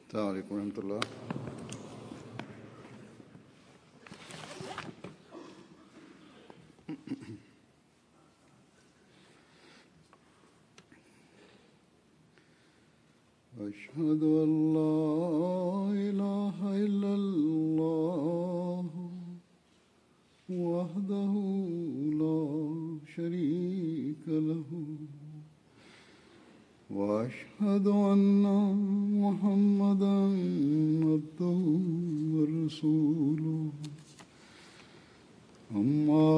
السلام عليڪم ورحمة الله. اشهد ان لا اله الا الله وحده لا شريك له واشهد ان محمدا عبده ورسوله اما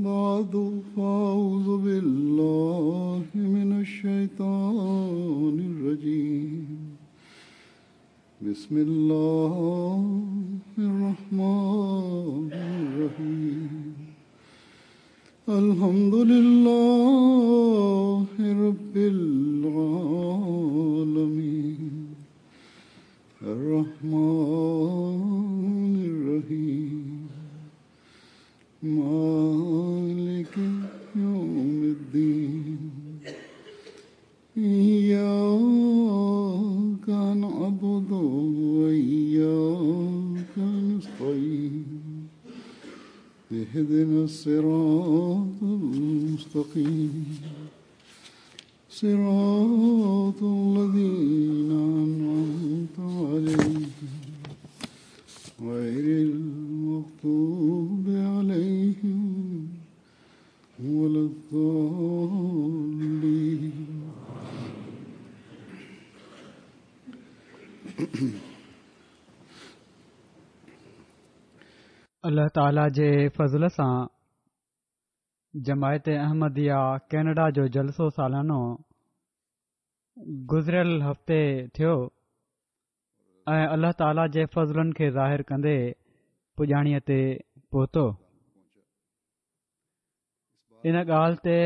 بعد فاعوذ بالله من الشيطان الرجيم بسم الله الرحمن الرحيم الحمد لله رب العالمين الرحمن الرحيم مالك يوم الدين إياك نعبد وإياك نستعين اهدنا الصراط المستقيم صراط الذين أنعمت عليهم غير المغضوب عليهم ولا الضالين. الله تعاليٰ جي فضل سان جماعت احمديه ڪينيڊا جو جلسو سالانو گذريل هفتي ٿيو ۽ الله تعاليٰ جي فضلن کي ظاهر ڪندي پڄاڻيء تي پهتو. ان ڳالهه تي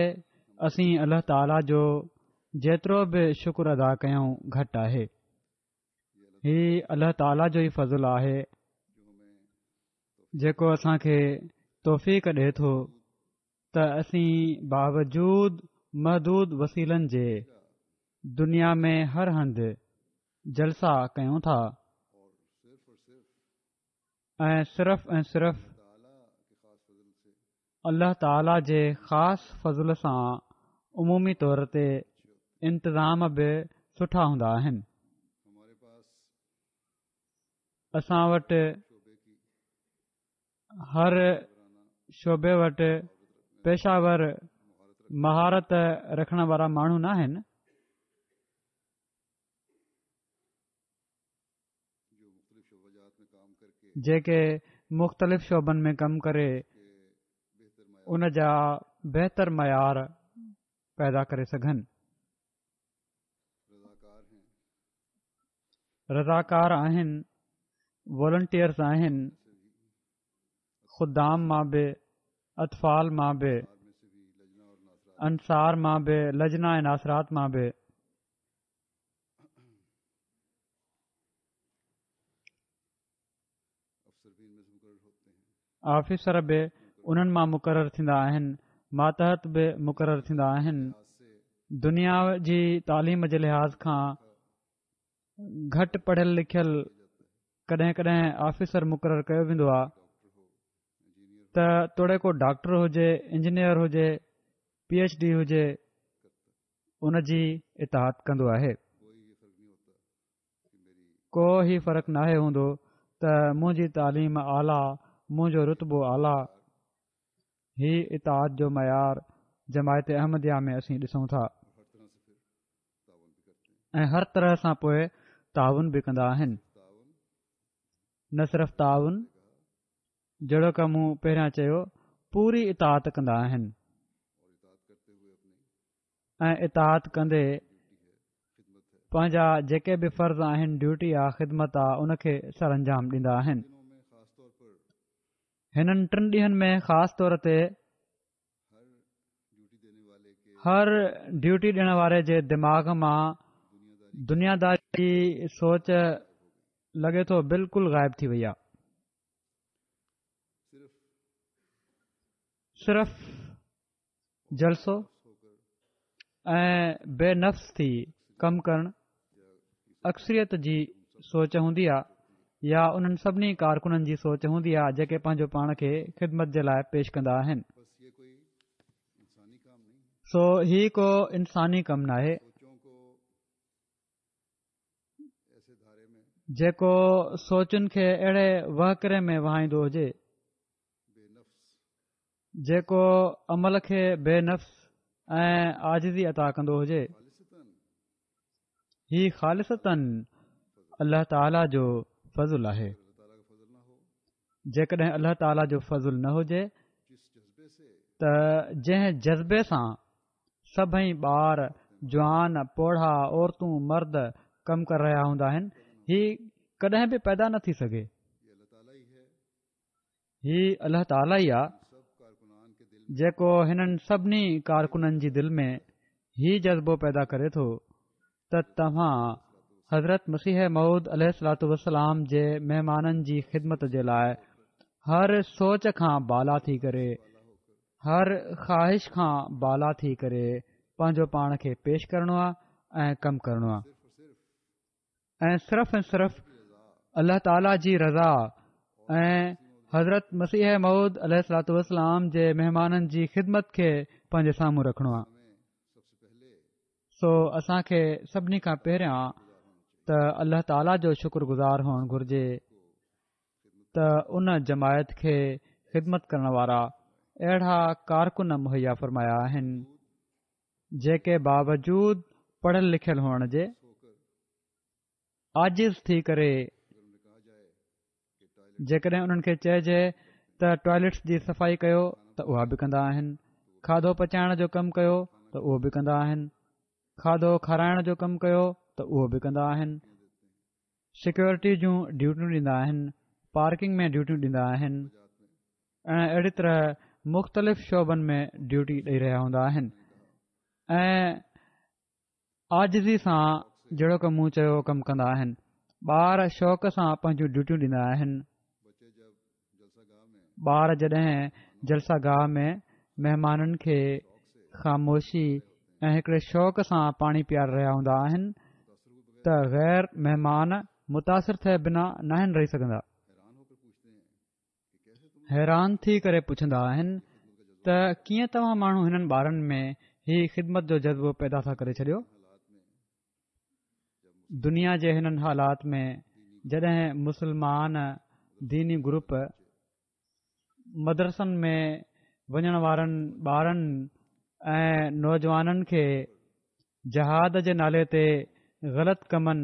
اسين الله تعاليٰ جو جيترو به شڪر ادا ڪيون گهٽ آهي. هي الله تعاليٰ جو ئي فضل آهي جيڪو اسان کي توفيق ڏئي ٿو ته اسين باوجود محدود وسيلن جي دنيا ۾ هر هنڌ جلسا ڪيون ٿا ۽ صرف ۽ صرف الله تعاليٰ جي خاص فضل سان عمومي طور تي انتظام به سٺا هوندا آهن. اسان وٽ هر شعبي وٽ پيشه ور مهارت رکڻ وارا ماڻهو نه آهن. جيڪي مختلف شعبن ۾ ڪم ڪري ان جا بهتر معيار پيدا ڪري سگهن. رضاڪار آهن، والنٽيئرز آهن، خدام مان به، اطفال مان به، انصار مان به، لجنا ۽ ناصرات مان به. آفيسر به انهن مان مقرر ٿيندا آهن، ماتحت به مقرر ٿيندا آهن. دنيا جي تعليم جي لحاظ کان گهٽ پڙهيل لکيل ڪڏهن ڪڏهن آفيسر مقرر ڪيو ويندو آهي ته توڙي ڪو ڊاڪٽر هجي، انجنيئر هجي، پي ايڇ ڊي هجي، ان جي اطاعت ڪندو آهي. ڪو هي فرق ناهي هوندو ته منهنجي تعليم اعليٰ، منهنجو رتبو اعليٰ. هي اطاعت جو معيار جماعت احمديه ۾ اسين ڏسون ٿا ۽ هر طرح سان پوء تعاون به ڪندا آهن. نه صرف تعاون جهڙوڪ مون پهريان چيو پوري اطاعت ڪندا آهن. ۽ اطاعت ڪندي پنهنجا جيڪي به فرض آهن ڊيوٽي آ خدمت آ ان کي سر انجام ڏيندا آهن هنن ٽن ڏينهن ۾ خاص طور تي هر ڊيوٽي ڏيڻ واري جي دماغ مان دنياداري جي سوچ لڳي ٿو بلڪل غائب ٿي وئي آ صرف جلسو ۽ بي نفس ٿي ڪم ڪرڻ اڪثريت جي سوچ هوندي آ يا انهن سڀني ڪارڪنن جي سوچ هوندي آ جيڪي پنهنجو پاڻ کي خدمت جي لاء پيش ڪندا آهن. سو هي ڪو انساني ڪم ناهي. جيڪو سوچن کي اهڙي وهڪري ۾ وهائيندو هجي. جيڪو عمل کي بي نفس ۽ عاجزي عطا ڪندو هجي. هي خالصتاً الله تعاليٰ جو فضل آهي. جيڪڏهن الله تعاليٰ جو فضل نه هجي ته جنهن جذبي سان سڀئي ٻار، جوان، پوڙها، عورتون، مرد ڪم ڪري رهيا هوندا آهن، هي ڪڏهن به پيدا نه ٿي سگهي. هي الله تعاليٰ ئي آ جيڪو هنن سڀني ڪارڪنن جي دل ۾ هي جذبو پيدا ڪري ٿو ته توهان حضرت مسيح موعود عليه الصلوٰة والسلام جي مهمانن جي خدمت جي لاء هر سوچ کان بالا ٿي ڪري هر خواهش کان بالا ٿي ڪري پنهنجو پاڻ کي پيش ڪرڻو آ ۽ ڪم ڪرڻو آ ۽ صرف ۽ صرف الله تعاليٰ جي رضا ۽ حضرت مسيح موعود عليه الصلوٰة والسلام جي مهمانن جي خدمت کي پنهنجي سامهون رکڻو آهي سو اسان کي سڀني کان پهريان ته الله تعاليٰ جو شڪر گذار هئڻ گهرجي ته ان جماعت کي خدمت ڪرڻ وارا اهڙا ڪارڪن مهيا فرمايا آهن جيڪي باوجود پڙهيل لکيل هئڻ جي عاجز ٿي ڪري جيڪڏهن انهن کي چئجي ته ٽوائليٽس جي صفائي ڪيو ته اها به ڪندا آهن کاڌو پچائڻ جو ڪم ڪيو ته اهو به ڪندا آهن کاڌو کارائڻ جو ڪم ڪيو ته اهو به ڪندا آهن سيڪيورٽي جون ڊيوٽيون ڏيندا آهن پارڪنگ ۾ ڊيوٽيون ڏيندا آهن ۽ اهڙي طرح مختلف شعبن ۾ ڊيوٽي ڏئي رهيا هوندا آهن ۽ عاجزي سان جهڙوڪ مون چيو ڪم ڪندا آهن ٻار شوق سان پنهنجون ڊيوٽيون ڏيندا آهن ٻار جڏهن جلسه گاهه ۾ مهمانن کي خاموشي ۽ هڪڙي شوق سان پاڻي پياري رهيا هوندا آهن ته غير مهمان متاثر ٿئي بنا ناهن رهي سگهندا حيران ٿي ڪري پڇندا آهن ته ڪيئن توهان ماڻهو هنن ٻارن ۾ هي خدمت جو جذبو پيدا ٿا ڪري ڇڏيو دنيا جي هنن حالات ۾ جڏهن مسلمان ديني گروپ مدرسن ۾ وڃڻ وارن ٻارن ۽ نوجوانن کي جهاد جي نالي تي غلط ڪمن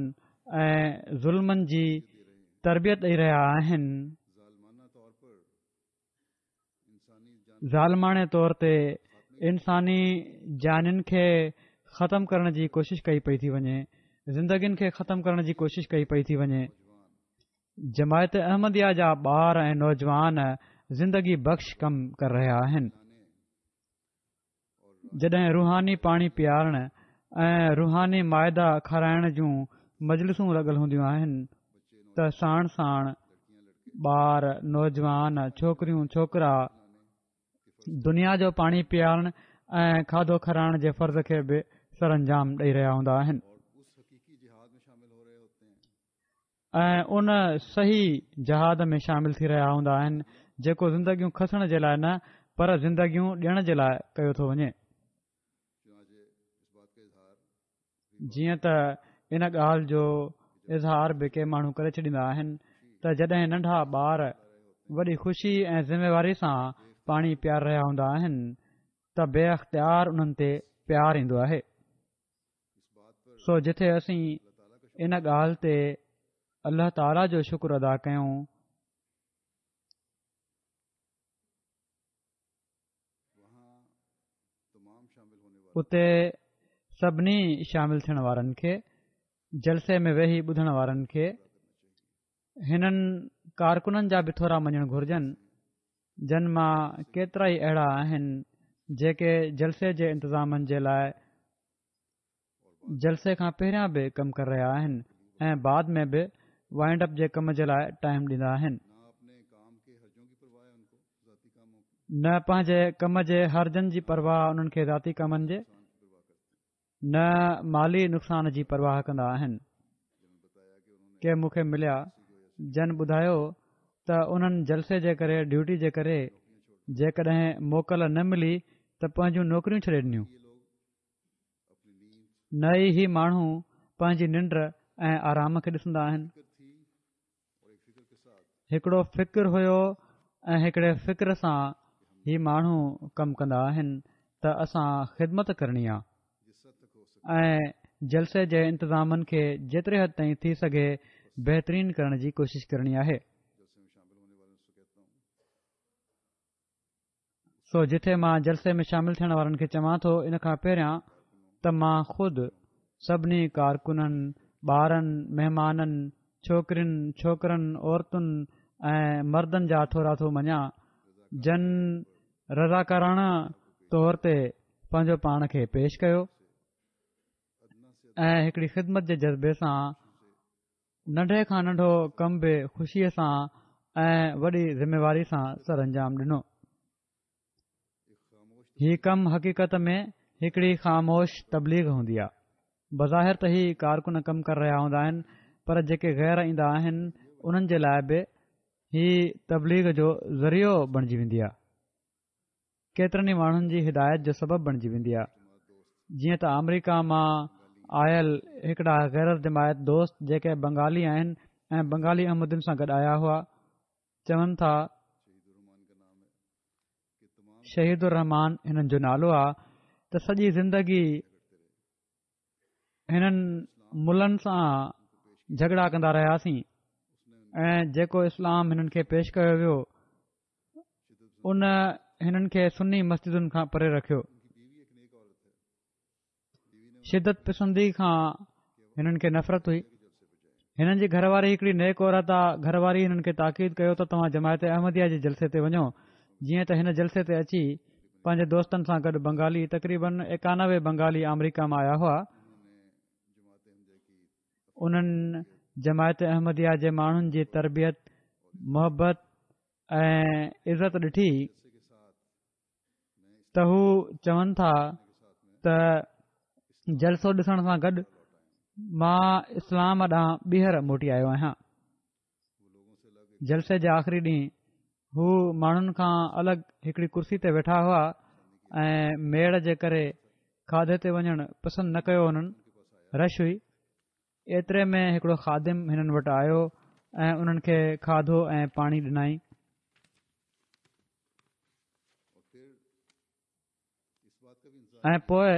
۽ ظلمن جي تربيت ڏئي رهيا آهن. ظالماڻي طور تي انساني جانين کي ختم ڪرڻ جي ڪوشش ڪئي پئي ٿي وڃي، زندگين کي ختم ڪرڻ جي ڪوشش ڪئي پئي ٿي وڃي. جماعت احمديه جا ٻار ۽ نوجوان زندگي بخش ڪم ڪري رهيا آهن. جڏهن روحاني پاڻي پيارڻ ۽ روحاني مائده کارائڻ جون مجلسون لڳل هونديون آهن ته ساڻ ساڻ ٻار، نوجوان، ڇوڪريون، ڇوڪرا دنيا جو پاڻي پيارڻ ۽ کاڌو کارائڻ جي فرض کي به سرانجام ڏئي رهيا هوندا آهن. ۽ ان صحيح جهاد ۾ شامل ٿي رهيا هوندا آهن جيڪو زندگيون کسڻ جي لاء نه پر زندگيون ڏيڻ جي لاء ڪيو ٿو وڃي. جيئن ته ان ڳالهه جو اظهار به ڪي ماڻهو ڪري ڇڏيندا آهن ته جڏهن ننڍا ٻار وڏي خوشي ۽ ذميواري سان پاڻي پياري رهيا هوندا آهن ته بي اختيار انهن تي پيار ايندو آهي. سو جتي اسين ان ڳالهه تي الله تعاليٰ جو شڪر ادا ڪيون اتي سڀني شامل ٿيڻ وارن کي جلسي ۾ ويهي ٻڌڻ وارن کي هنن ڪارڪنن جا به ٿورا مڃڻ گهرجن جن مان ڪيترائي اهڙا آهن جيڪي جلسي جي انتظامن جي لاء جلسي کان پهريان به ڪم ڪري رهيا آهن ۽ بعد ۾ به وائنڊ اپ جي ڪم جي لاء ٽائيم ڏيندا آهن. نه پنهنجي ڪم جي حرجن جي پرواهه انهن کي ذاتي ڪمن جي نه مالي نقصان جي پرواهه ڪندا آهن. ڪي مون کي مليا جن ٻڌايو ته انهن جلسي جي ڪري ڊيوٽي جي ڪري جيڪڏهن موڪل نه ملي ته پنهنجون نوڪريون ڇڏي ڏنيون. نه ئي هي ماڻهو پنهنجي ننڊ ۽ آرام کي ڏسندا آهن. هڪڙو فڪر هيو ۽ هڪڙي فڪر سان هي ماڻهو ڪم ڪندا آهن ته اسان خدمت ڪرڻي آ ۽ جلسي جي انتظامن کي جيتري حد تائين ٿي سگهي بهترين ڪرڻ جي ڪوشش ڪرڻي آهي. سو جٿي مان جلسي ۾ شامل ٿيڻ وارن کي چوان ٿو ان کان پهريان ته مان خود سڀني ڪارڪنن، ٻارن، مهمانن، ڇوڪرين، ڇوڪرن، عورتن ۽ مردن جا ٿورا ٿو مڃان جن رضاڪاراڻه طور تي پنهنجو پاڻ کي پيش ڪيو ۽ هڪڙي خدمت جي جذبي سان ننڍي کان ننڍو ڪم به خوشيء سان ۽ وڏي ذميواري سان سرانجام ڏنو. هي ڪم حقيقت ۾ هڪڙي خاموش تبليغ هوندي آ. بظاهر ته هي ڪارڪن ڪم ڪري رهيا هوندا آهن پر جيڪي غير ايندا آهن انهن جي لاء به هي تبليغ جو ذريعو بڻجي ويندي آ. ڪيترن ئي ماڻهن جي هدايت جو سبب بڻجي ويندي آهي جيئن ته آمريڪا مان آيل هڪڙا غير از جماعت دوست جيڪي بنگالي آهن ۽ بنگالي احمدين سان گڏ آيا هئا چون ٿا شهيد الرحمان هنن جو نالو آ ته سڄي زندگي هنن ملن سان جهڳڙا ڪندا رهياسين ۽ جيڪو اسلام هنن کي پيش ڪيو ويو ان هنن کي سني مسجدن کان پري رکيو. شدت پسندي کان هنن کي نفرت هئي. هنن جي گهر واري هڪڙي نيڪ عورت آ، گهر واري هنن کي تاڪيد ڪيو ته توهان جماعت احمديه جي جلسي تي وڃو، جيئن ته هن جلسي تي اچي پنهنجي دوستن سان گڏ بنگالي تقريبن 91 بنگالي آمريڪا مان آيا هئا. انهن جماعت احمديه جي ماڻهن جي تربيت، محبت ۽ عزت ڏٺي ته هو چون ٿا ته جلسو ڏسڻ سان گڏ مان اسلام ڏانهن ٻيهر موٽي آيو آهيان جلسي جي آخري ڏينهن هو ماڻهن کان الڳ هڪڙي ڪرسي تي ويٺا هئا ۽ ميڙ جي ڪري کاڌي تي وڃڻ پسند نه ڪيو انهن رش هئي ايتري ۾ هڪڙو خادم هنن وٽ آيو ۽ انهن کي کاڌو ۽ پاڻي ڏنائين. ۽ پوء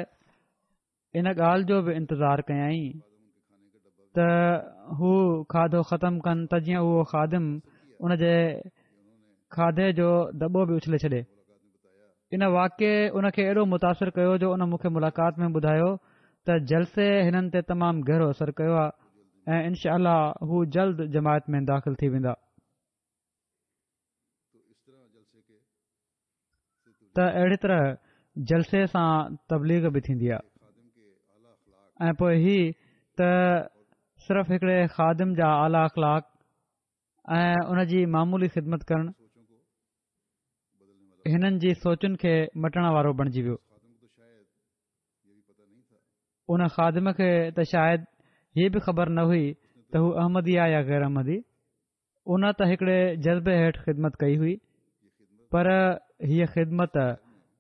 ان ڳالهه جو به انتظار ڪيائين ته هو کاڌو ختم ڪن ته جيئن اهو خادم ان جي کاڌي جو دٻو به اڇلي ڇڏي. ان واقعي ان کي ايڏو متاثر ڪيو جو ان مون کي ملاقات ۾ ٻڌايو ته جلسي هنن تي تمام گهرو اثر ڪيو آهي ۽ انشاء الله هو جلد جماعت ۾ داخل ٿي ويندا. ته اهڙي طرح جلسي سان تبليغ به ٿيندي آهي ۽ پوء هي ته صرف هڪڙي خادم جا اعليٰ اخلاق ۽ ان جي معمولي خدمت ڪرڻ هنن جي سوچن کي مٽڻ وارو بڻجي ويو. ان خادم کي ته شايد هي به خبر نه هئي ته هو احمدي آ يا غير احمدي. ان ته هڪڙي جذبي هيٺ خدمت ڪئي هئي پر هيء خدمت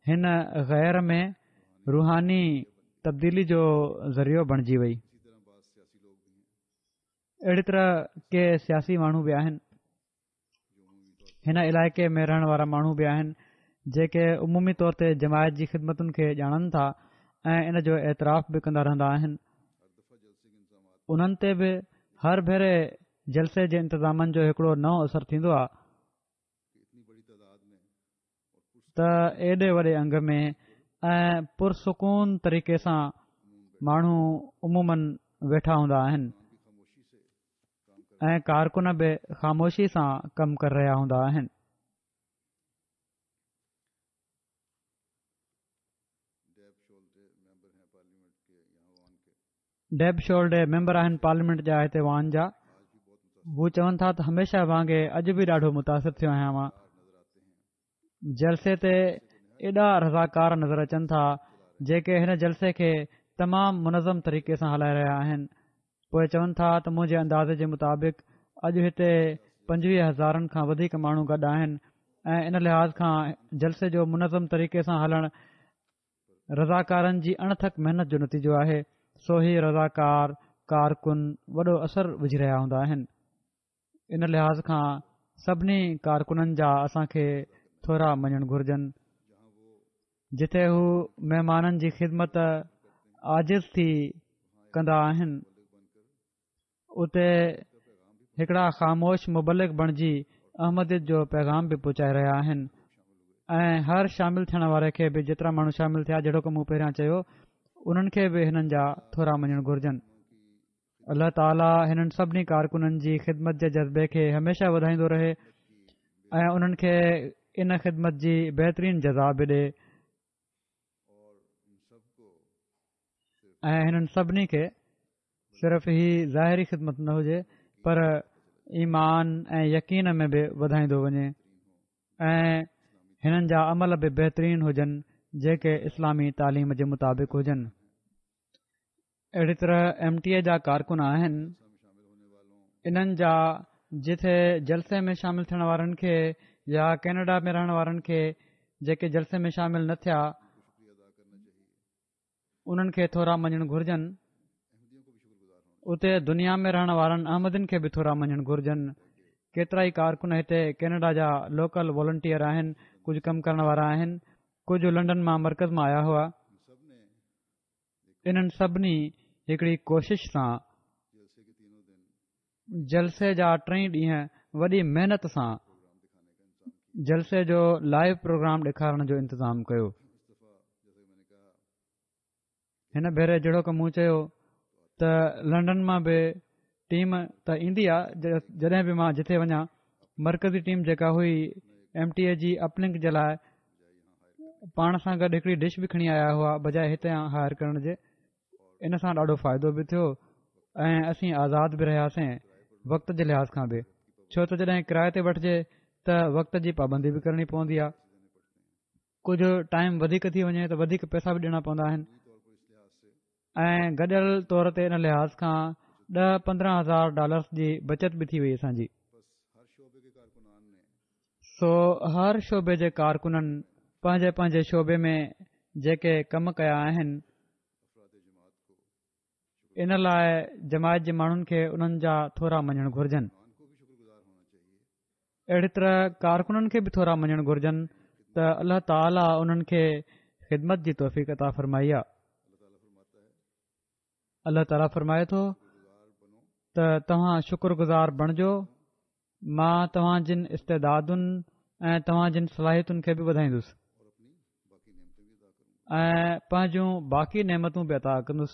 هن غير ۾ روحاني تبديلي جو ذريعو بڻجي وئي. اهڙي طرح ڪي سياسي ماڻهو به آهن. هن علائقي ۾ رهڻ وارا ماڻهو به آهن جيڪي عمومي طور تي جماعت جي خدمتن کي ڄاڻن ٿا ۽ ان جو اعتراف به ڪندا رهندا آهن انهن تي به هر ڀيري جلسي جي انتظامن جو هڪڙو نئون اثر ٿيندو آهي ته ايڏي وڏي انگ ۾ ۽ پرسڪون طريقي سان ماڻهو عمومن ويٺا هوندا آهن ۽ ڪارڪن به خاموشي سان ڪم ڪري رهيا هوندا آهن. ڊيب شولڊي ميمبر آهن پارليامينٽ جا هتي وان جا هو چون ٿا ته هميشه وانگي اڄ به ڏاڍو متاثر ٿيو آهيان مان جلسي تي ايڏا رضاڪار نظر اچن ٿا جيڪي هن جلسي کي تمام منظم طريقي سان هلائي رهيا آهن. پوء چون ٿا ته منهنجي اندازي جي مطابق اڄ هتي 25 هزارن کان وڌيڪ ماڻهو گڏ آهن ۽ ان لحاظ کان جلسي جو منظم طريقي سان هلڻ رضاڪارن جي اڻٿڪ محنت جو نتيجو آهي، سو هي رضاڪار ڪارڪن وڏو اثر وجهي رهيا هوندا آهن. ان لحاظ کان سڀني ڪارڪنن جا اسان کي ٿورا مڃڻ گهرجن جتي هو مهمانن جي خدمت عاجز ٿي ڪندا آهن اتي هڪڙا خاموش مبلغ بڻجي احمديت جو پيغام به پهچائي رهيا آهن ۽ هر شامل ٿيڻ واري کي به جيترا ماڻهو شامل ٿيا جهڙوڪ مون پهريان چيو انهن کي به هنن جا ٿورا مڃڻ گهرجن الله تعالي هنن سڀني ڪارڪنن جي خدمت جي جذبي کي هميشه وڌائيندو رهي ۽ انهن کي ان خدمت جي بهترين جزا به ڏي ۽ هنن سڀني کي صرف هي ظاهري خدمت نه هجي پر ايمان ۽ يقين ۾ به وڌائيندو وڃي ۽ هنن جا عمل به بهترين هجن جيڪي اسلامي تعليم جي مطابق هجن اهڙي طرح ايم ٽي اي جا ڪارڪن آهن انهن جا جٿي جلسي ۾ شامل ٿيڻ وارن کي يا ڪينيڊا ۾ رهڻ وارن کي جيڪي جلسي ۾ شامل نه ٿيا انهن کي ٿورا مڃڻ گهرجن اتي دنيا ۾ رهڻ وارن احمدين کي به ٿورا مڃڻ گهرجن ڪيترا ئي ڪارڪن هتي ڪينيڊا جا لوڪل والنٽيئر آهن ڪجهه ڪم ڪرڻ وارا آهن ڪجهه لنڊن مان مرڪز مان آيا هئا انهن سڀني هڪڙي ڪوشش سان جلسي جا ٽئي ڏينهن وڏي محنت سان جلسي جو لائيو پروگرام ڏيکارڻ جو انتظام ڪيو. هن ڀيري جهڙوڪ مون چيو ته لنڊن مان به ٽيم ته ايندي آ جڏهن به مان جٿي وڃان مرڪزي ٽيم جيڪا هئي ايم ٽي اي جي اپ لنڪ جي لاء پاڻ سان گڏ هڪڙي ڊش به کڻي آيا هئا بجاء هتي هائر ڪرڻ جي ان سان ڏاڍو فائدو به ٿيو ۽ اسين آزاد به رهياسين وقت جي لحاظ کان به ڇو ته جڏهن ڪرائي تي وٺجي ته وقت جي پابندي به ڪرڻي پوندي آهي ڪجهه ٽائيم وڌيڪ ٿي وڃي ته وڌيڪ پئسا به ڏيڻا پوندا آهن ۽ گڏيل طور تي ان لحاظ کان ڏهه 15 هزار ڊالرس جي بچت به ٿي وئي اسان جي. سو هر شعبي جي ڪارڪنن پنهنجي پنهنجي شعبي ۾ جيڪي ڪم ڪيا آهن ان لاء جماعت جي ماڻهن کي انهن جا ٿورا مڃڻ گهرجن. اهڙي طرح ڪارڪنن کي به ٿورا مڃڻ گهرجن ته الله تعاليٰ انهن کي خدمت جي توفيق عطا فرمائي آ. الله تعاليٰ فرمائي ٿو ته توهان شڪر گذار بڻجو مان توهان جن استعدادن ۽ توهان جن صلاحيتن کي به وڌائيندس ۽ پنهنجون باقي نعمتون به عطا ڪندس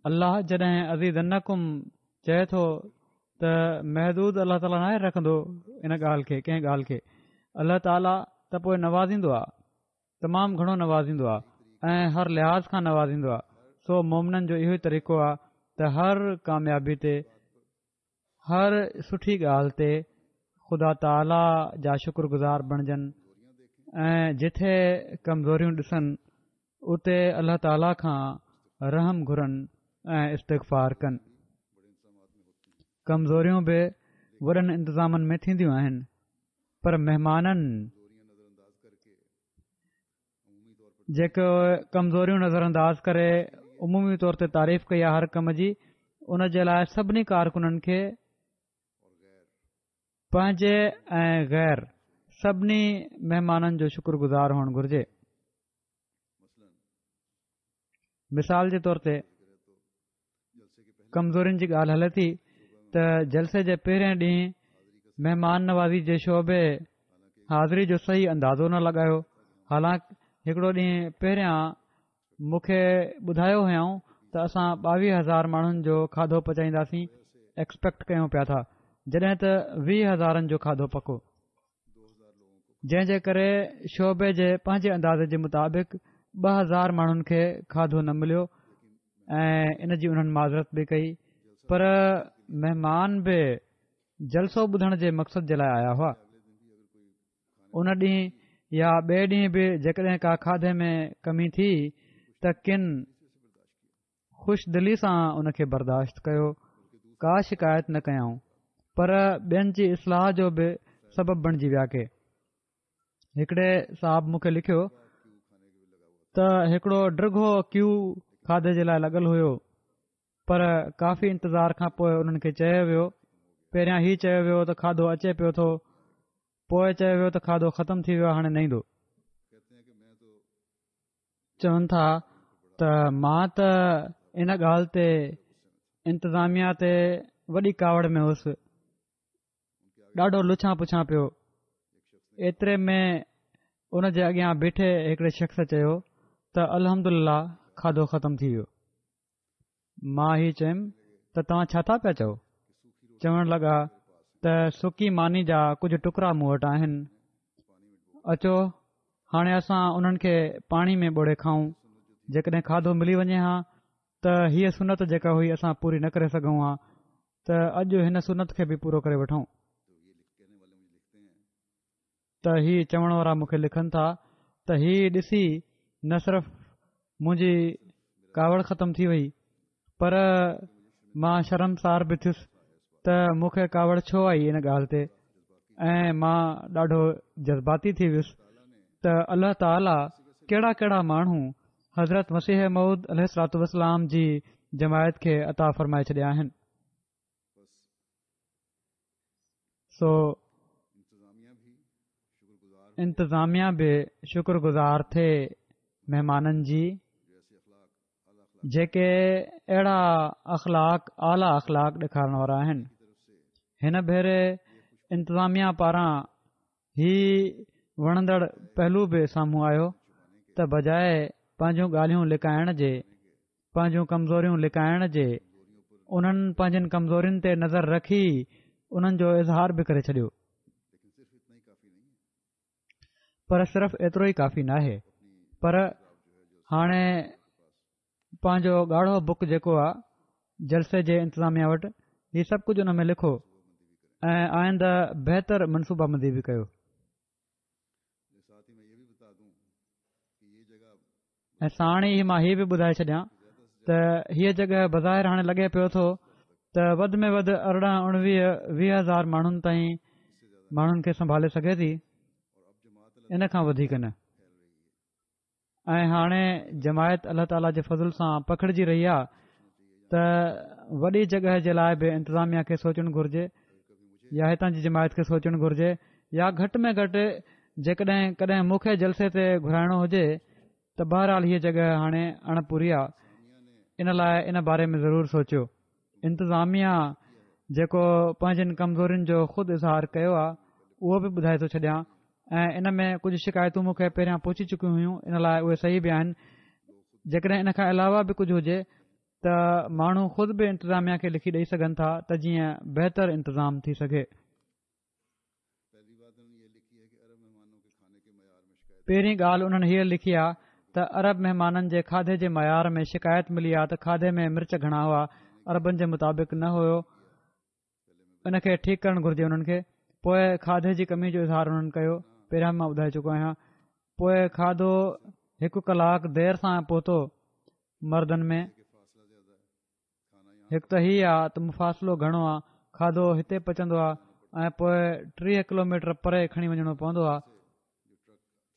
الله جڏهن ازيدنڪم چئي ٿو ته محدود الله تعاليٰ ناهي رکندو ان ڳالهه کي ڪنهن ڳالهه کي الله تعاليٰ ته پوء نوازيندو آهي تمام گهڻو نوازيندو آهي ۽ هر لحاظ کان نوازيندو آهي سو مومنن جو اهو ئي طريقو آهي ته هر ڪاميابي تي هر سٺي ڳالهه تي خدا تعاليٰ جا شڪر گذار بڻجن ۽ جٿي ڪمزوريون ڏسن اتي الله تعاليٰ کان رحم گهرن ۽ استغفار ڪن. ڪمزوريون به وڏن انتظامن ۾ ٿينديون آهن پر مهمانن جيڪي ڪمزوريون نظر انداز ڪري عمومي طور تي تعريف ڪئي آهي هر ڪم جي ان جي لاء سڀني ڪارڪنن کي پنهنجي ۽ غير سڀني مهمانن جو شڪر گذار هئڻ گهرجي مثال جي طور تي ڪمزورين جي ڳالهه هلي ٿي ته جلسي جي پهرين ڏينهن مهمان نوازي جي شعبي حاضري جو صحيح اندازو نه لڳايو حالانڪ هڪڙو ڏينهن پهريان مون کي ٻڌايو هيائون ته اسان ٻاويهه هزار ماڻهن جو کاڌو پچائينداسين ايڪسپيڪٽ ڪيون پيا ٿا جڏهن ته ويهه هزارن جو کاڌو پڪو جنهن جي ڪري شعبي جي پنهنجي اندازي جي مطابق 2000 ماڻهن کي کاڌو نه مليو ۽ ان جي انهن معذرت به ڪئي پر مهمان به جلسو ٻڌڻ جي مقصد جي لاء آيا هئا ان ڏينهن يا ٻئي ڏينهن به جيڪڏهن ڪا کاڌي ۾ ڪمي ٿي ته ڪن خوش دلي سان ان کي برداشت ڪيو، ڪا شڪايت نه ڪيائون، پر ٻين جي اصلاح جو به سبب بڻجي ويا ڪي هڪڙي صاحب مون کي لکيو ته هڪڙو ڊگهو ڪيو کاڌي جي لاء لڳل هيو پر ڪافي انتظار کان پوء انهن کي چيو ويو پهريان هي چيو ويو ته کاڌو اچي پيو ٿو پوء چيو ويو ته کاڌو ختم ٿي ويو هاڻي نه ايندو چون ٿا ته مان ته ان ڳالهه تي انتظاميا تي وڏي ڪاوڙ ۾ هوس ڏاڍو لڇان پڇان پيو ايتري ۾ ان جي اڳيان بيٺي هڪڙي شخص چيو ته الحمد لله کاڌو ختم ٿي ويو مان هي چيم ته توهان ڇا ٿا پيا چئو؟ چوڻ لڳا ته سڪي ماني جا ڪجهه ٽڪرا مون وٽ آهن، اچو هاڻي اسان انهن کي پاڻي ۾ ٻوڙي کائون، جيڪڏهن کاڌو ملي وڃي ها ته هيء سنت جيڪا هئي اسان پوري نه ڪري سگهون ها ته اڄ هن سنت کي به پورو ڪري وٺون. ته هي چوڻ وارا مون کي لکن ٿا ته هي ڏسي نه صرف منهنجي ڪاوڙ ختم ٿي وئي پر مان شرمسار به ٿيس ته مون کي ڪاوڙ ڇو آئي ان ڳالهه تي ۽ مان ڏاڍو جذباتي ٿي ويس ته الله تعاليٰ ڪهڙا ڪهڙا ماڻهو حضرت مسيح موعود عليه الصلوٰة والسلام جي جماعت کي عطا فرمائي ڇڏيا آهن سو انتظاميا به شڪر گذار ٿئي مهمانن جي جيڪي اهڙا اخلاق اعليٰ اخلاق ڏيکارڻ وارا آهن هن ڀيري انتظاميا پاران هي وڻندڙ پهلو به سامهون آيو ته بجاء پنهنجون ڳالهيون لڪائڻ جي پنهنجون ڪمزوريون لڪائڻ جي انهن پنهنجين ڪمزورين تي نظر رکي انهن جو اظهار به ڪري ڇڏيو پر صرف ايترو ئي ڪافي ناهي پر هاڻي پنهنجو ڳاڙهو بڪ جيڪو آ جلسي جي انتظاميا وٽ هي سڀ ڪجهه ان ۾ لکو ۽ آئنده بهتر منصوبه بندي به ڪيو ۽ ساڻ ئي مان هي به ٻڌائي ڇڏيان ته هيء جڳهه بظاهر هاڻي لڳي پيو ٿو ته وڌ ۾ وڌ 18 19 20 هزار ماڻهن تائين ماڻهن کي سنڀالي سگهي ٿي ان کان وڌيڪ نه ۽ هاڻي جماعت الله تعاليٰ جي فضل سان پکڙجي رهي آهي ته وڏي جڳهه جي لاء به انتظاميا کي سوچڻ گهرجي يا هتان جي جماعت کي سوچڻ گهرجي يا گهٽ ۾ گهٽ جيڪڏهن ڪڏهن مون کي جلسي تي گهرائڻو هجي ته بهرحال هيء جڳهه هاڻي اڻ پوري آ ان لاء ان باري ۾ ضرور سوچيو. انتظاميا جيڪو پنهنجين ڪمزورين جو خود اظهار ڪيو آ اهو به ٻڌائي ٿو ڇڏيان ۽ ان ۾ ڪجهه شڪايتون مون کي پهريان پهچي چڪيون هيون ان لاء اهي صحيح به آهن جيڪڏهن ان کان علاوه به ڪجهه هجي ته ماڻهو خود به انتظاميا کي لکي ڏئي سگهن ٿا ته جيئن بهتر انتظام ٿي سگهي. پهرين ڳالهه انهن هيء لکي آ ته عرب مهمانن جي کاڌي جي معيار ۾ شڪايت ملي آ ته کاڌي ۾ مرچ گهڻا هئا عربن جي مطابق نه هيو ان کي ٺيڪ ڪرڻ گهرجي انهن کي پوء کاڌي جي ڪمي جو اظهار انهن ڪيو پهريان مان ٻڌائي چڪو آهيان پوء کاڌو هڪ ڪلاڪ دير سان پهتو مردن ۾ هڪ ته هي آ ته مفاصلو گهڻو آ، کاڌو هتي پچندو آ ۽ پوء 30 ڪلوميٽر پري کڻي وڃڻو پوندو آ.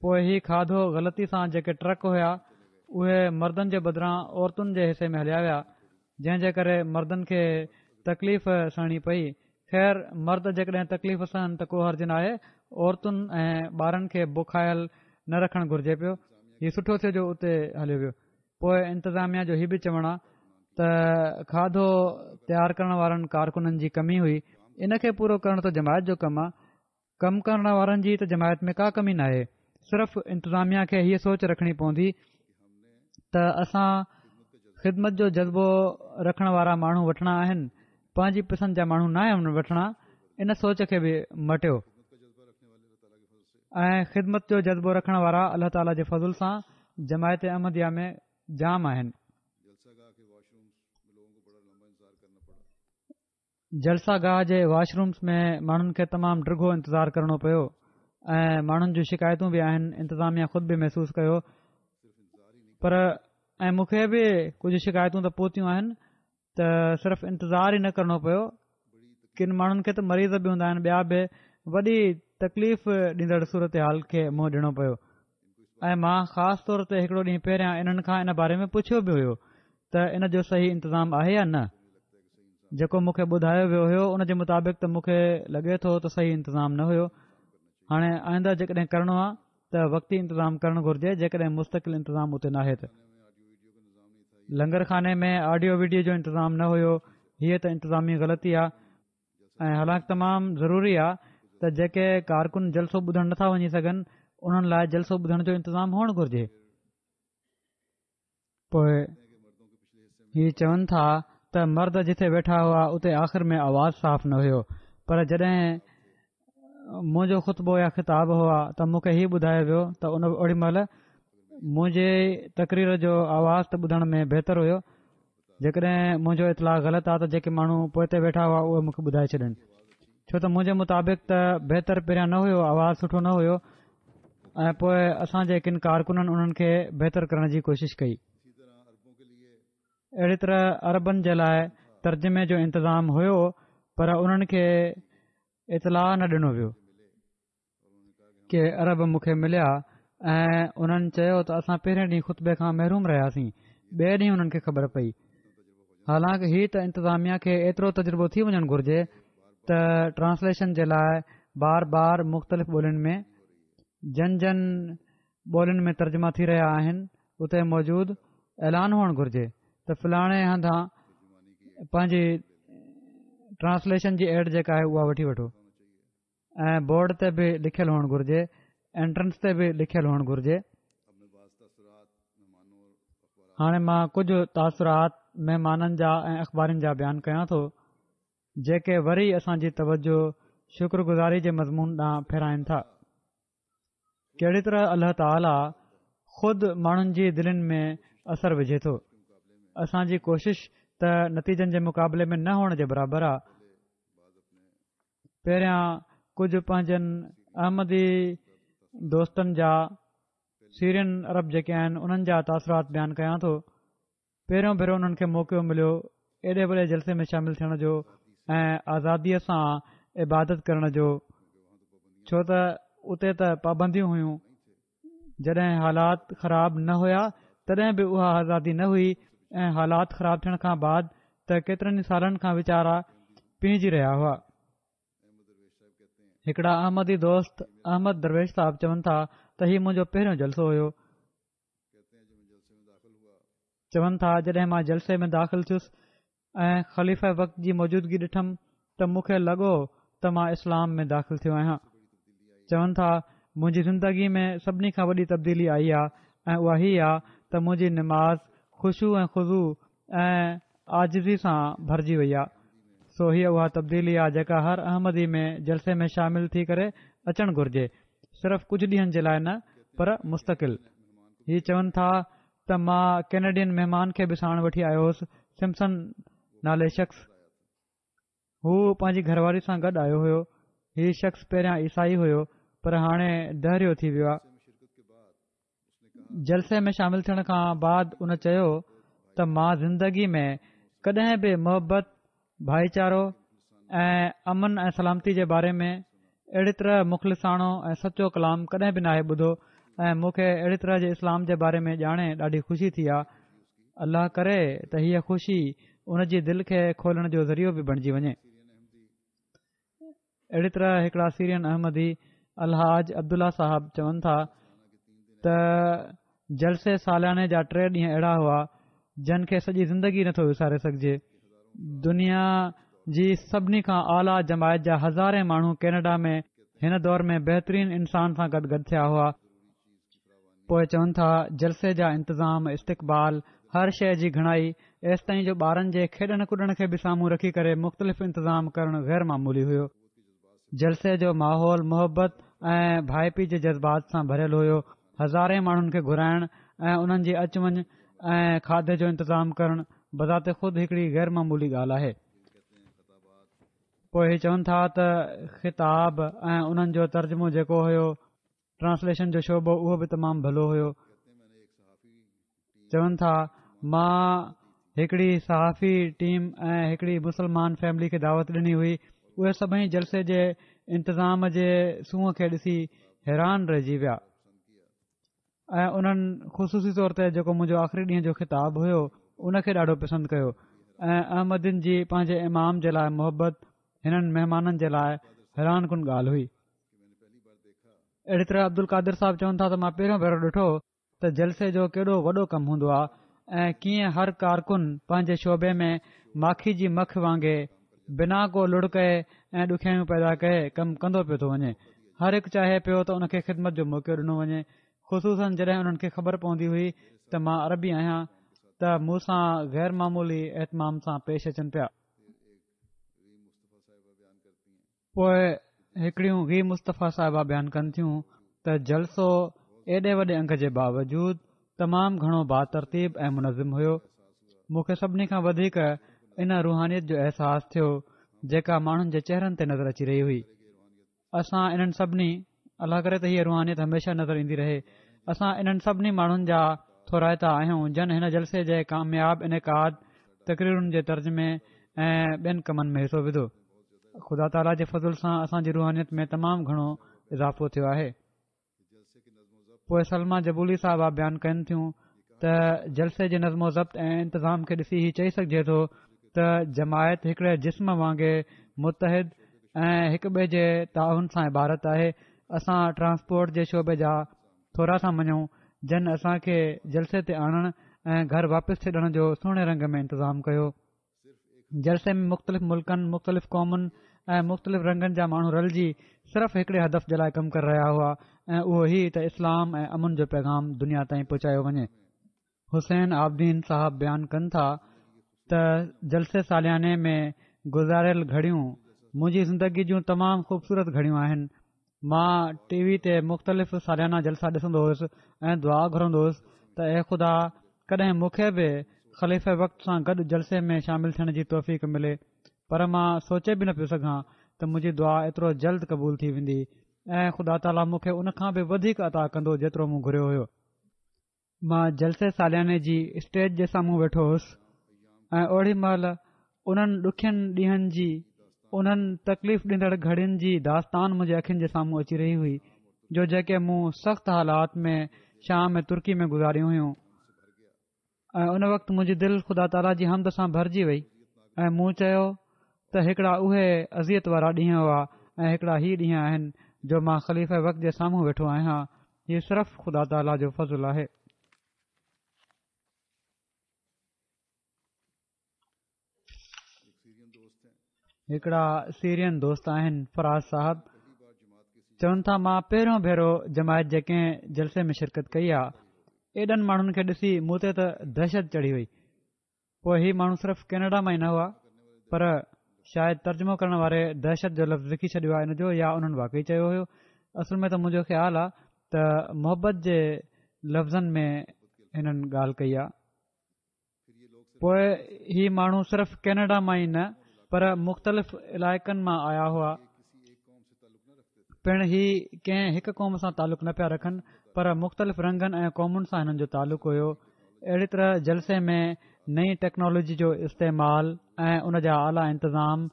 پوء هي کاڌو غلطي سان جيڪي ٽرڪ هيا اهي مردن جي بدران عورتن جي حصي ۾ هليا ويا جنهن جي ڪري مردن کي تڪليف سهڻي پئي. خير مرد جيڪڏهن تڪليف سهن ته ڪو حرج ناهي عورتن ۽ ٻارن کي بکايل نه رکڻ گهرجي پيو. هي سٺو ٿيو جو اتي هليو ويو. پوء انتظاميا جو هي به چوڻ آ ته کاڌو تيار ڪرڻ وارن ڪارڪنن جي ڪمي هئي ان کي پورو ڪرڻ ته جماعت جو ڪم آ ڪم ڪرڻ وارن جي ته جماعت ۾ ڪا ڪمي ناهي صرف انتظاميا کي هيء سوچ رکڻي پوندي ته اسان خدمت جو جذبو رکڻ وارا ماڻهو وٺڻا آهن پنهنجي پسند جا ماڻهو ناهن وٺڻا ان سوچ کي به مٽيو ۽ خدمت جو جذبو رکڻ وارا الله تعاليٰ جي فضل سان جماعت احمديه ۾ جام آهن. جلسه گاهه جي واش رومز ۾ ماڻهن کي تمام ڊگهو انتظار ڪرڻو پيو ۽ ماڻهن جون شڪايتون به آهن انتظاميه خود به محسوس ڪيو پر. ۽ مون کي به ڪجهه شڪايتون ته پهتيون آهن ته صرف انتظار ئي نه ڪرڻو پيو، ڪن ماڻهن کي ته مريض به هوندا آهن ٻيا به وڏي تڪليف ڏيندڙ صورتحال کي منهن ڏيڻو پيو ۽ مان خاص طور تي هڪڙو ڏينهن پهريان انهن کان ان باري ۾ پڇيو به هيو ته ان جو صحيح انتظام آهي يا نه جيڪو مون کي ٻڌايو ويو هيو ان جي مطابق ته مون کي لڳي ٿو ته صحيح انتظام نه هيو هاڻي آئنده جيڪڏهن ڪرڻو آهي ته وقتي انتظام ڪرڻ گهرجي جيڪڏهن مستقل انتظام اتي ناهي ته. لنگر خاني ۾ آڊيو ويڊيو جو انتظام نه هيو هيء ته انتظامي غلطي آ ۽ حالانڪ تمام ضروري آ ته جيڪي ڪارڪن جلسو ٻڌڻ نٿا وڃي سگهن انهن لاء جلسو ٻڌڻ جو انتظام هئڻ گهرجي. پوء هي چون ٿا ته مرد جتي ويٺا هئا اتي آخر ۾ آواز صاف نه هيو پر جڏهن منهنجو خطبو يا خطاب هئا ته مون کي هي ٻڌايو ويو ته ان اوڏي مهل منهنجي تقرير جو آواز ته ٻڌڻ ۾ بهتر هيو جيڪڏهن منهنجو اطلاع غلط آ ته جيڪي ماڻهو پوئتي ويٺا هئا اهي مون کي ٻڌائي ڇڏن ڇو ته منهنجي مطابق ته بهتر پهريان نه هيو آواز سٺو نه هيو ۽ پوء اسان جي ڪن ڪارڪنن انهن کي بهتر ڪرڻ جي ڪوشش ڪئي اهڙي طرح عربن جي لاء ترجمي جو انتظام هيو پر انهن کي اطلاع نه ڏنو ويو ڪي عرب مون کي مليا ۽ انهن چيو ته اسان پهرين ڏينهن خطبي کان محروم رهياسين ٻئي ڏينهن انهن کي خبر پئي حالانڪ هي ته انتظاميا کي ايترو تجربو ٿي وڃڻ گهرجي ته ٽرانسليشن جي لاء بار بار مختلف ٻولين ۾ جن جن ٻولين ۾ ترجما ٿي رهيا آهن اتي موجود اعلان هئڻ گهرجي ته فلاڻي هنڌان پنهنجي ٽرانسليشن جي ايڊ جيڪا آهي اها وٺي وٺو ۽ بورڊ تي به لکيل هئڻ گهرجي انٽرنس تي به لکيل هئڻ گهرجي هاڻي مان ڪجهه تاثرات مهمانن جا ۽ اخبارين جا بيان ڪيان ٿو جيڪي وري اسان جي توجه شڪر گذاري جي مضمون ڏانهن ڦيرائن ٿا ڪهڙي طرح الله تعاليٰ خود ماڻهن جي دلين ۾ اثر وجهي ٿو اسان جي ڪوشش ته نتيجن جي مقابلي ۾ نه هئڻ جي برابر آهي پهريان ڪجهه پنهنجن احمدي دوستن جا سيرين عرب جيڪي آهن انهن جا تاثرات بيان ڪيان ٿو پهريون ڀيرو انهن کي موقعو مليو ايڏي وڏي جلسي ۾ شامل ٿيڻ جو ۽ آزاديء سان عبادت ڪرڻ جو ڇو ته اتي ته پابنديون هيون جڏهن حالات خراب نه هيا تڏهن به اها آزادي نه هئي ۽ حالات خراب ٿيڻ کان بعد ته ڪيترن ئي سالن کان ويچارا پيهجي رهيا هئا هڪڙا احمدي دوست احمد درويش صاحب چون ٿا ته هي منهنجو پهريون جلسو هيو چون ٿا جڏهن مان جلسي ۾ داخل ٿيس ۽ خليفه وقت جي موجودگي ڏٺم ته مون کي لڳو ته مان اسلام ۾ داخل ٿيو آهيان چون ٿا منهنجي زندگي ۾ سڀني کان وڏي تبديلي آئي آ ۽ اها هي آ ته منهنجي نماز خشوع ۽ خضوع ۽ عاجزي سان ڀرجي وئي آ سو هيء اها تبديلي آ جيڪا هر احمدي ۾ جلسي ۾ شامل ٿي ڪري اچڻ گهرجي صرف ڪجهه ڏينهن جي لاء نه پر مستقل. هي چون ٿا ته مان ڪينيڊين مهمان کي به ساڻ وٺي آيو هوس سمسن نالي شخص هو پنهنجي گهرواري سان گڏ آيو هيو هي شخص پهريان عيسائي هيو پر هاڻي دهريو ٿي ويو آ. جلسي ۾ شامل ٿيڻ کان بعد ان چيو ته مان زندگي ۾ ڪڏهن به محبت، ڀائيچارو ۽ امن ۽ سلامتي جي باري ۾ اهڙي طرح مخلصاڻو ۽ سچو ڪلام ڪڏهن به ناهي ٻڌو ۽ مون کي اهڙي طرح جي اسلام جي باري ۾ ڄاڻي ڏاڍي خوشي ٿي آ. الله ڪري ته هيء خوشي ان جي دل کي کولڻ جو ذريعو به بڻجي وڃي. اهڙي طرح هڪڙا سيرين احمدي الحاج عبدالله صاحب چون ٿا ته جلسي سالياني جا ٽي ڏينهن اهڙا هئا جن کي سڄي زندگي نٿو وساري سگهجي دنيا جي سڀني کان اعليٰ جماعت جا هزارين ماڻهو ڪينيڊا ۾ هن دور ۾ بهترين انسان سان گڏ گڏ ٿيا هئا پوء چون ٿا جلسي جا انتظام، استقبال، هر شيء جي گهڻائي، ايستائين جو ٻارن جي کيڏڻ ڪڏڻ کي به سامهون رکي ڪري مختلف انتظام ڪرڻ غير معمولي هيو. جلسي جو ماحول محبت ۽ ڀائپي جي جذبات سان ڀريل هيو. هزارين ماڻهن کي گهرائڻ ۽ انهن جي اچ وڃ ۽ کاڌي جو انتظام ڪرڻ بذات خود هڪڙي غير معمولي ڳالهه آهي. پوء هي چون ٿا ته خطاب ۽ انهن جو ترجمو جيڪو هيو ٽرانسليشن جو شعبو اهو به تمام ڀلو هيو. چون ٿا، مان هڪڙي صحافي ٽيم ۽ هڪڙي مسلمان فيملي کي دعوت ڏني هئي، اهي سڀئي جلسي جي انتظام جي سونهن کي ڏسي حيران رهجي ويا ۽ انهن خصوصي طور تي جيڪو منهنجو آخري ڏينهن جو خطاب هيو ان کي ڏاڍو پسند ڪيو ۽ احمدين جي پنهنجي امام جي لاء محبت هنن مهمانن جي لاء حيران ڪن ڳالهه هئي. اهڙي طرح عبدالقادر صاحب چون ٿا ته مان پهريون ڀيرو ڏٺو ته جلسي جو ڪيڏو وڏو ڪم هوندو آ ۽ ڪيئن هر ڪارڪن پنهنجي شعبي ۾ ماکي جي مک وانگي بنا ڪو لڙ ڪئي ۽ ڏکيائيون پيدا ڪئي ڪم ڪندو پيو ٿو وڃي. هر هڪ چاهي پيو ته ان کي خدمت جو موقعو ڏنو وڃي خصوصن جڏهن انهن کي خبر پوندي هئي ته مان عربي آهيان ته مون سان غير معمولي اهتمام سان پيش اچن پيا. پوء هڪڙيون غي مصطفيٰ صاحبه بيان ڪن ٿيون ته جلسو ايڏي وڏي انگ جي باوجود تمام گهڻو باترتيب ۽ منظم هيو. مون کي سڀني کان وڌيڪ ان روحانيت جو احساس ٿيو جيڪا ماڻهن جي چهرن تي نظر اچي رهي هئي. اسان انهن سڀني الله ڪري ته هيء روحانيت هميشه نظر ايندي رهي. اسان انهن سڀني ماڻهن جا ٿورائتا آهيون جن هن جلسي جي ڪامياب انعقاد، تقريرن جي ترجمي ۽ ٻين ڪمن ۾ حصو وڌو. خدا تعاليٰ جي فضل سان اسان جي روحانيت ۾ تمام گهڻو اضافو ٿيو آهي. پوء سلميٰ جبولي صاحبه بيان ڪن ٿيون ته جلسي جي نظم و ضبط ۽ انتظام کي ڏسي هي چئي سگهجي ٿو ته جماعت هڪڙي جسم وانگي متحد ۽ هڪ ٻئي جي تعاون سان عبارت آهي اسان ٽرانسپورٽ جي شعبي جا ٿورا ٿا مڃون جن اسان کي جلسي تي آڻڻ ۽ گهر واپس ڇڏڻ جو سهڻي رنگ ۾ انتظام ڪيو جلسي ۾ مختلف ملڪن، مختلف قومن ۽ مختلف رنگن جا ماڻهو رلجي صرف هڪڙي هدف جي لاء ڪم ڪري رهيا هئا ۽ اهو هي ته اسلام ۽ امن جو پيغام دنيا تائين پهچايو وڃي. حسين عابدين صاحب بيان ڪن ٿا ته جلسي سالياني ۾ گذاريل گهڙيون منهنجي زندگي جون تمام خوبصورت گهڙيون آهن مان ٽي وي تي مختلف ساليانا جلسا ڏسندو هيس ۽ دعا گهرندو هيس ته اي خدا ڪڏهن مون کي به خليفه وقت سان گڏ جلسي ۾ شامل ٿيڻ جي توفيق ملي پر مان سوچي به نه پيو سگهان ته منهنجي دعا ايترو جلد قبول ٿي ويندي ۽ خدا تعاليٰ مون کي ان کان به وڌيڪ عطا ڪندو جيترو مون گهريو هيو. مان جلسي سالياني جي اسٽيج جي سامهون ويٺو هوس ۽ اوڏي مهل انهن ڏکين ڏينهن جي انهن تڪليف ڏيندڙ گهڙين جي داستان منهنجي اکين جي سامهون اچي رهي هئي جو جيڪي مون سخت حالات ۾ شام ۽ ترڪي ۾ گذاريون هيون ۽ ان وقت منهنجي دل خدا تعاليٰ جي حمد سان ڀرجي وئي ۽ مون چيو ته هڪڙا اهي اذيت وارا ڏينهن هئا ۽ هڪڙا هي ڏينهن آهن جو مان خليفه وقت جي سامهون ويٺو آهيان هي صرف خدا تعاليٰ جو فضل آهي. هڪڙا سيرين دوست آهن فراز صاحب چون ٿا مان پهريون ڀيرو جماعت جي ڪنهن جلسي ۾ شرڪت ڪئي آ ايڏن ماڻهن کي ڏسي مون تي ته دهشت چڙهي وئي پوء هي ماڻهو صرف ڪينيڊا مان ئي نه هئا پر شايد ترجمو ڪرڻ واري دهشت جو لفظ لکي ڇڏيو آهي ان جو يا انهن واقعي چيو هيو اصل ۾ ته منهنجو خيال آهي ته محبت جي لفظن ۾ هنن ڳالهه ڪئي آهي پوء هي ماڻهو صرف ڪينيڊا مان ئي نه پر مختلف علائقن مان آيا هئا پڻ هي ڪنهن هڪ قوم سان تعلق نه پيا رکن پر مختلف رنگن ۽ قومن سان هنن جو تعلق هيو اهڙي طرح جلسي ۾ نئين ٽيڪنالاجي جو استعمال ۽ ان جا اعليٰ انتظام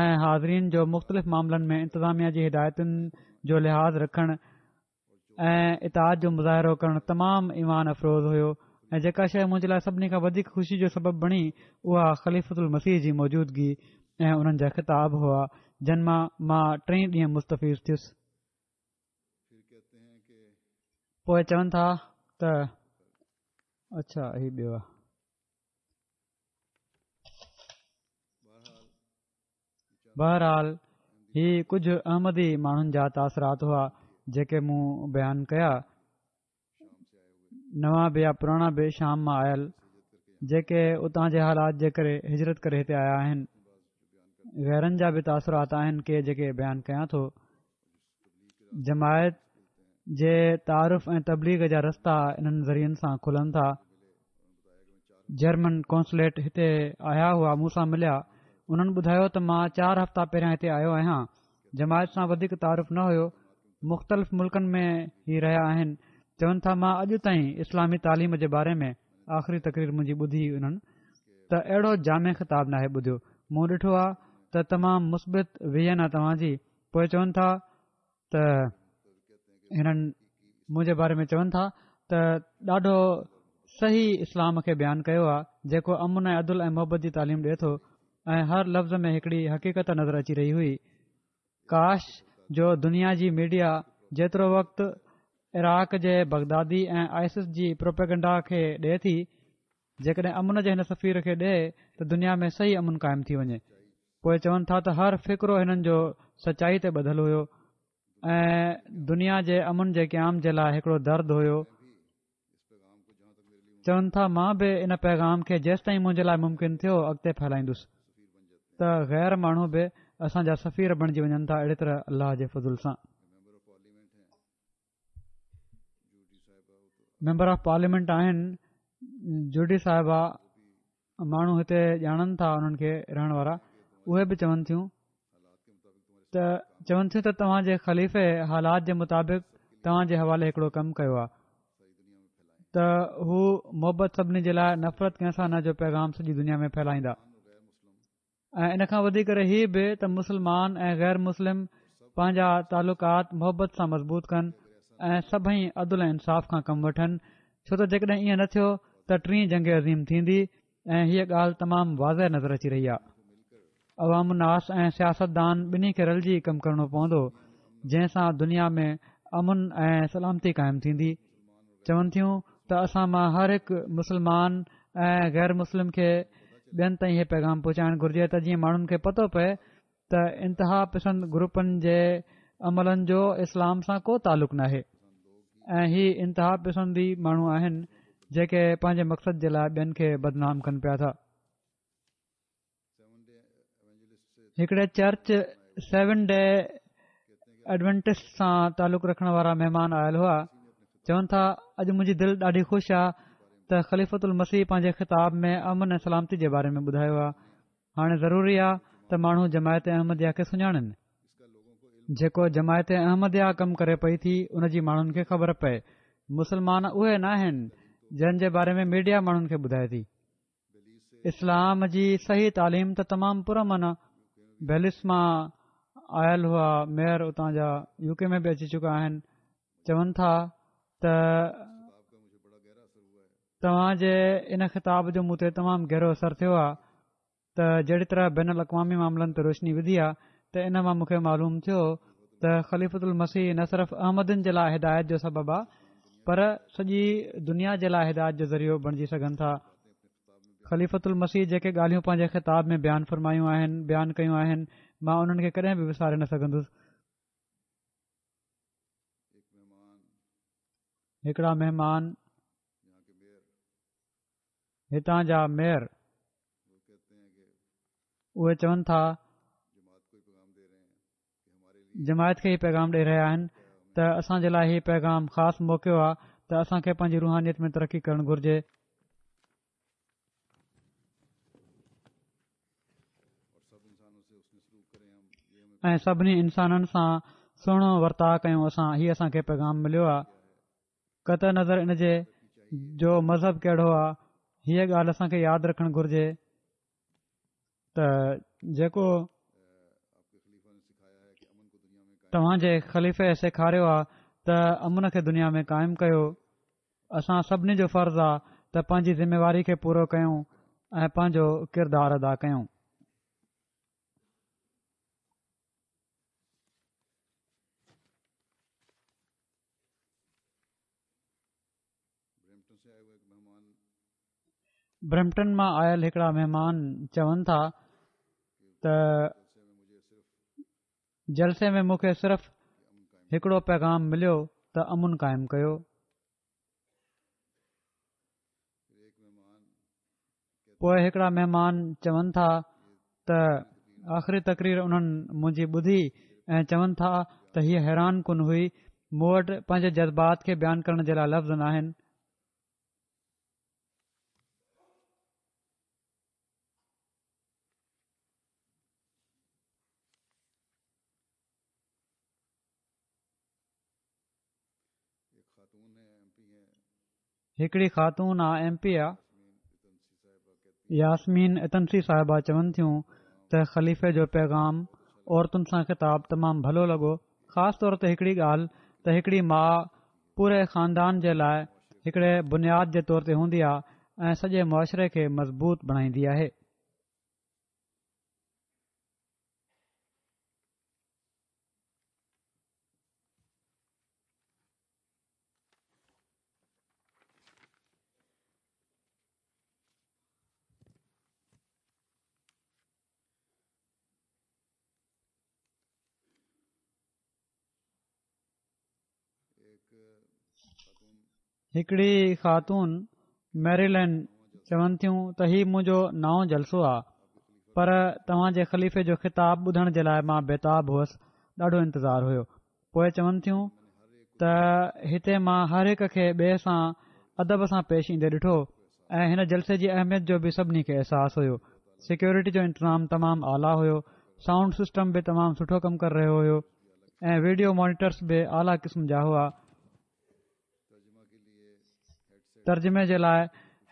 ۽ حاضرين جو مختلف معاملن ۾ انتظاميا جي هدايتن جو لحاظ رکڻ ۽ اطاعت جو مظاهرو ڪرڻ تمام ايمان افروز هيو ۽ جيڪا شيء منهنجي لاء سڀني کان وڌيڪ خوشي جو سبب بڻي اها خليفة المسيح جي موجودگي ۽ انهن جا خطاب هئا جن مان مان ٽئي ڏينهن مستفيض ٿيس. پوء چون ٿا ته اڇا هي ٻيو آهي. بهرحال هي ڪجهه احمدي ماڻهن جا تاثرات هئا جيڪي مون بيان ڪيا. نوان به يا پراڻا به شام مان آيل جيڪي اتان جي حالات جي ڪري هجرت ڪري هتي آيا آهن غيرن جا به تاثرات آهن ڪي جيڪي بيان ڪيان ٿو جماعت جي تعارف ۽ تبليغ جا رستا انهن ذريعن سان کلن ٿا جرمن قونصليٽ هتي آيا هئا مون سان مليا انهن ٻڌايو ته مان چار هفتا پهريان هتي آيو آهيان جماعت سان وڌيڪ تعارف نه هيو مختلف ملڪن ۾ هي رهيا آهن چون ٿا مان اڄ تائين اسلامي تعليم جي باري ۾ آخري تقرير منهنجي ٻڌي انهن ته اهڙو جامع خطاب ناهي ٻڌيو مون ڏٺو آ ته تمام مثبت ويزن آ توهان جي پوء چون ٿا ته هنن منهنجي باري ۾ چون ٿا ته ڏاڍو صحيح اسلام کي بيان ڪيو آ جيڪو امن ۽ عدل ۽ محبت جي تعليم ڏئي ٿو ۽ هر لفظ ۾ هڪڙي حقيقت نظر اچي رهي هئي ڪاش جو دنيا جي ميڊيا جيترو وقت عراق جي بغدادي ۽ آئسس جي پروپيگنڊا کي ڏئي ٿي جيڪڏهن امن جي هن سفير کي ڏئي ته دنيا ۾ صحيح امن قائم ٿي وڃي. پوء چون ٿا ته هر فقرو هنن جو سچائي تي ٻڌل هيو ۽ دنيا جي امن جي قيام جي لاء هڪڙو درد هيو. چون ٿا مان به ان پيغام کي جيستائين منهنجي لاء ممڪن ٿيو اڳتي ڦهلائيندس ته غير ماڻهو به اسان جا سفير بڻجي وڃن ٿا اهڙي طرح الله جي فضل سان. ميمبر آف پارليامينٽ آهن جوڊي صاحبه ماڻهو هتي ڄاڻن ٿا انهن کي رهڻ وارا اهي به چون ٿيون ته چون ٿيون ته توهان جي خليفي حالات جي مطابق توهان جي حوالي هڪڙو ڪم ڪيو آهي ته هو محبت سڀني جي لاء نفرت ڪنهن سان نه جو پيغام سڄي دنيا ۾ ڦهلائيندا ۽ ان کان وڌي ڪري هي به ته مسلمان ۽ غير مسلم پنهنجا تعلقات محبت سان مضبوط ڪن ۽ سڀئي عدل ۽ انصاف کان ڪم وٺن ڇو ته جيڪڏهن ائين نه ٿيو ته ٽين جنگ عظيم ٿيندي ۽ هيء ڳالهه تمام واضح نظر اچي رهي آهي عوام الناس ۽ سياستدان ٻنهي کي رلجي ڪم ڪرڻو پوندو جنهن سان دنيا ۾ امن ۽ سلامتي قائم ٿيندي چون ٿيون ته اسان مان هر هڪ مسلمان ۽ غير مسلم کي ٻين تائين هي پيغام پهچائڻ گهرجي ته جيئن ماڻهن کي پتو پئي ته انتها پسند گروپن جي عملن جو اسلام سان ڪو تعلق ناهي ۽ هي انتها پسند ئي ماڻهو آهن جيڪي پنهنجي مقصد جي لاء ٻين کي بدنام ڪن پيا ٿا. هڪڙي چرچ سيون ڊي ايڊونٽسٽ سان تعلق رکڻ وارا مهمان آيل هئا چون ٿا اڄ منهنجي دل ڏاڍي خوش آ ته خليفت المسيح پنهنجي خطاب ۾ امن ۽ سلامتي جي باري ۾ ٻڌايو آ هاڻي ضروري آ ته ماڻهو جماعت احمديه کي سڃاڻن جيڪو جماعت احمديه ڪم ڪري پئي ٿي ان جي ماڻهن کي خبر پئي مسلمان اهي ناهن جن جي باري ۾ ميڊيا ماڻهن کي ٻڌائي ٿي اسلام جي صحيح تعليم ته تمام پرامن آ. بيلس مان آيل هئا ميئر اتان جا يو ڪي ۾ به اچي چڪا آهن چون ٿا ته توهان جي ان خطاب جو مون تي تمام گهرو اثر ٿيو آ ته جهڙي طرح بين الاقوامي معاملن تي روشني وڌي آ ته ان مان مون کي معلوم ٿيو ته خليفت المسيح نه صرف احمدين جي لاء هدايت جو سبب آ پر سڄي دنيا جي لاء هدايت جو ذريعو بڻجي سگهن ٿا خليفت المسيح جيڪي ڳالهيون پنهنجي خطاب ۾ بيان فرمايون آهن بيان ڪيون آهن مان انهن کي ڪڏهن به وساري نه سگهندس هڪڙا مهمان هتان جا ميئر اهي چون ٿا جماعت کي هي پيغام ڏئي رهيا آهن ته اسان جي لاء هي پيغام خاص موقعو آهي ته اسان کي پنهنجي روحانيت ۾ ترقي ڪرڻ گهرجي ۽ سڀني انسانن سان سهڻو ورتاء ڪيون اسان هي اسان کي پيغام مليو آهي قطع نظر ان جي جو مذهب ڪهڙو آ هيء ڳالهه اسان کي ياد رکڻ گهرجي ته جيڪو توهان جي خليفي سيکاريو آ ته امن کي دنيا ۾ قائم ڪيو اسان سڀني جو فرض آ ته پنهنجي ذميواري کي پورو ڪيون ۽ پنهنجو ڪردار ادا ڪيون. برمپٽن مان آيل هڪڙا مهمان چون ٿا ته جلسي ۾ مون کي صرف هڪڙو پيغام مليو ته امن قائم ڪيو. پوء هڪڙا مهمان چون ٿا ته آخري تقرير انهن منهنجي ٻڌي ۽ چون ٿا ته هيء حيران ڪن هئي مون وٽ پنهنجي جذبات کي بيان ڪرڻ جي لاء لفظ ناهن. هڪڙي خاتون آ ايم پي آ. ياسمين اتنسي صاحبه چون ٿيون ته خليفي جو پيغام عورتن سان خطاب تمام ڀلو لڳو خاص طور تي هڪڙي ڳالهه ته هڪڙي ماء پوري خاندان جي لاء هڪڙي بنياد جي طور تي هوندي آ ۽ سڄي معاشري کي مضبوط بڻائيندي آهي. هڪڙي خاتون ميريلينڊ چون ٿيون ته هي منهنجو نائون جلسو آ پر توهان جي خليفي جو خطاب ٻڌڻ جي لاء مان بيتاب هئس ڏاڍو انتظار هيو پوء چون ٿيون ته هتي مان هر هڪ کي ٻئي سان ادب سان پيش ايندي ڏٺو ۽ هن جلسي جي اهميت جو به سڀني کي احساس هيو سيڪيورٽي جو انتظام تمام اعليٰ هيو سائونڊ سسٽم به تمام سٺو ڪم ڪري رهيو هيو ۽ ويڊيو مانيٽرس به اعليٰ قسم جا هئا ترجمي جي لاء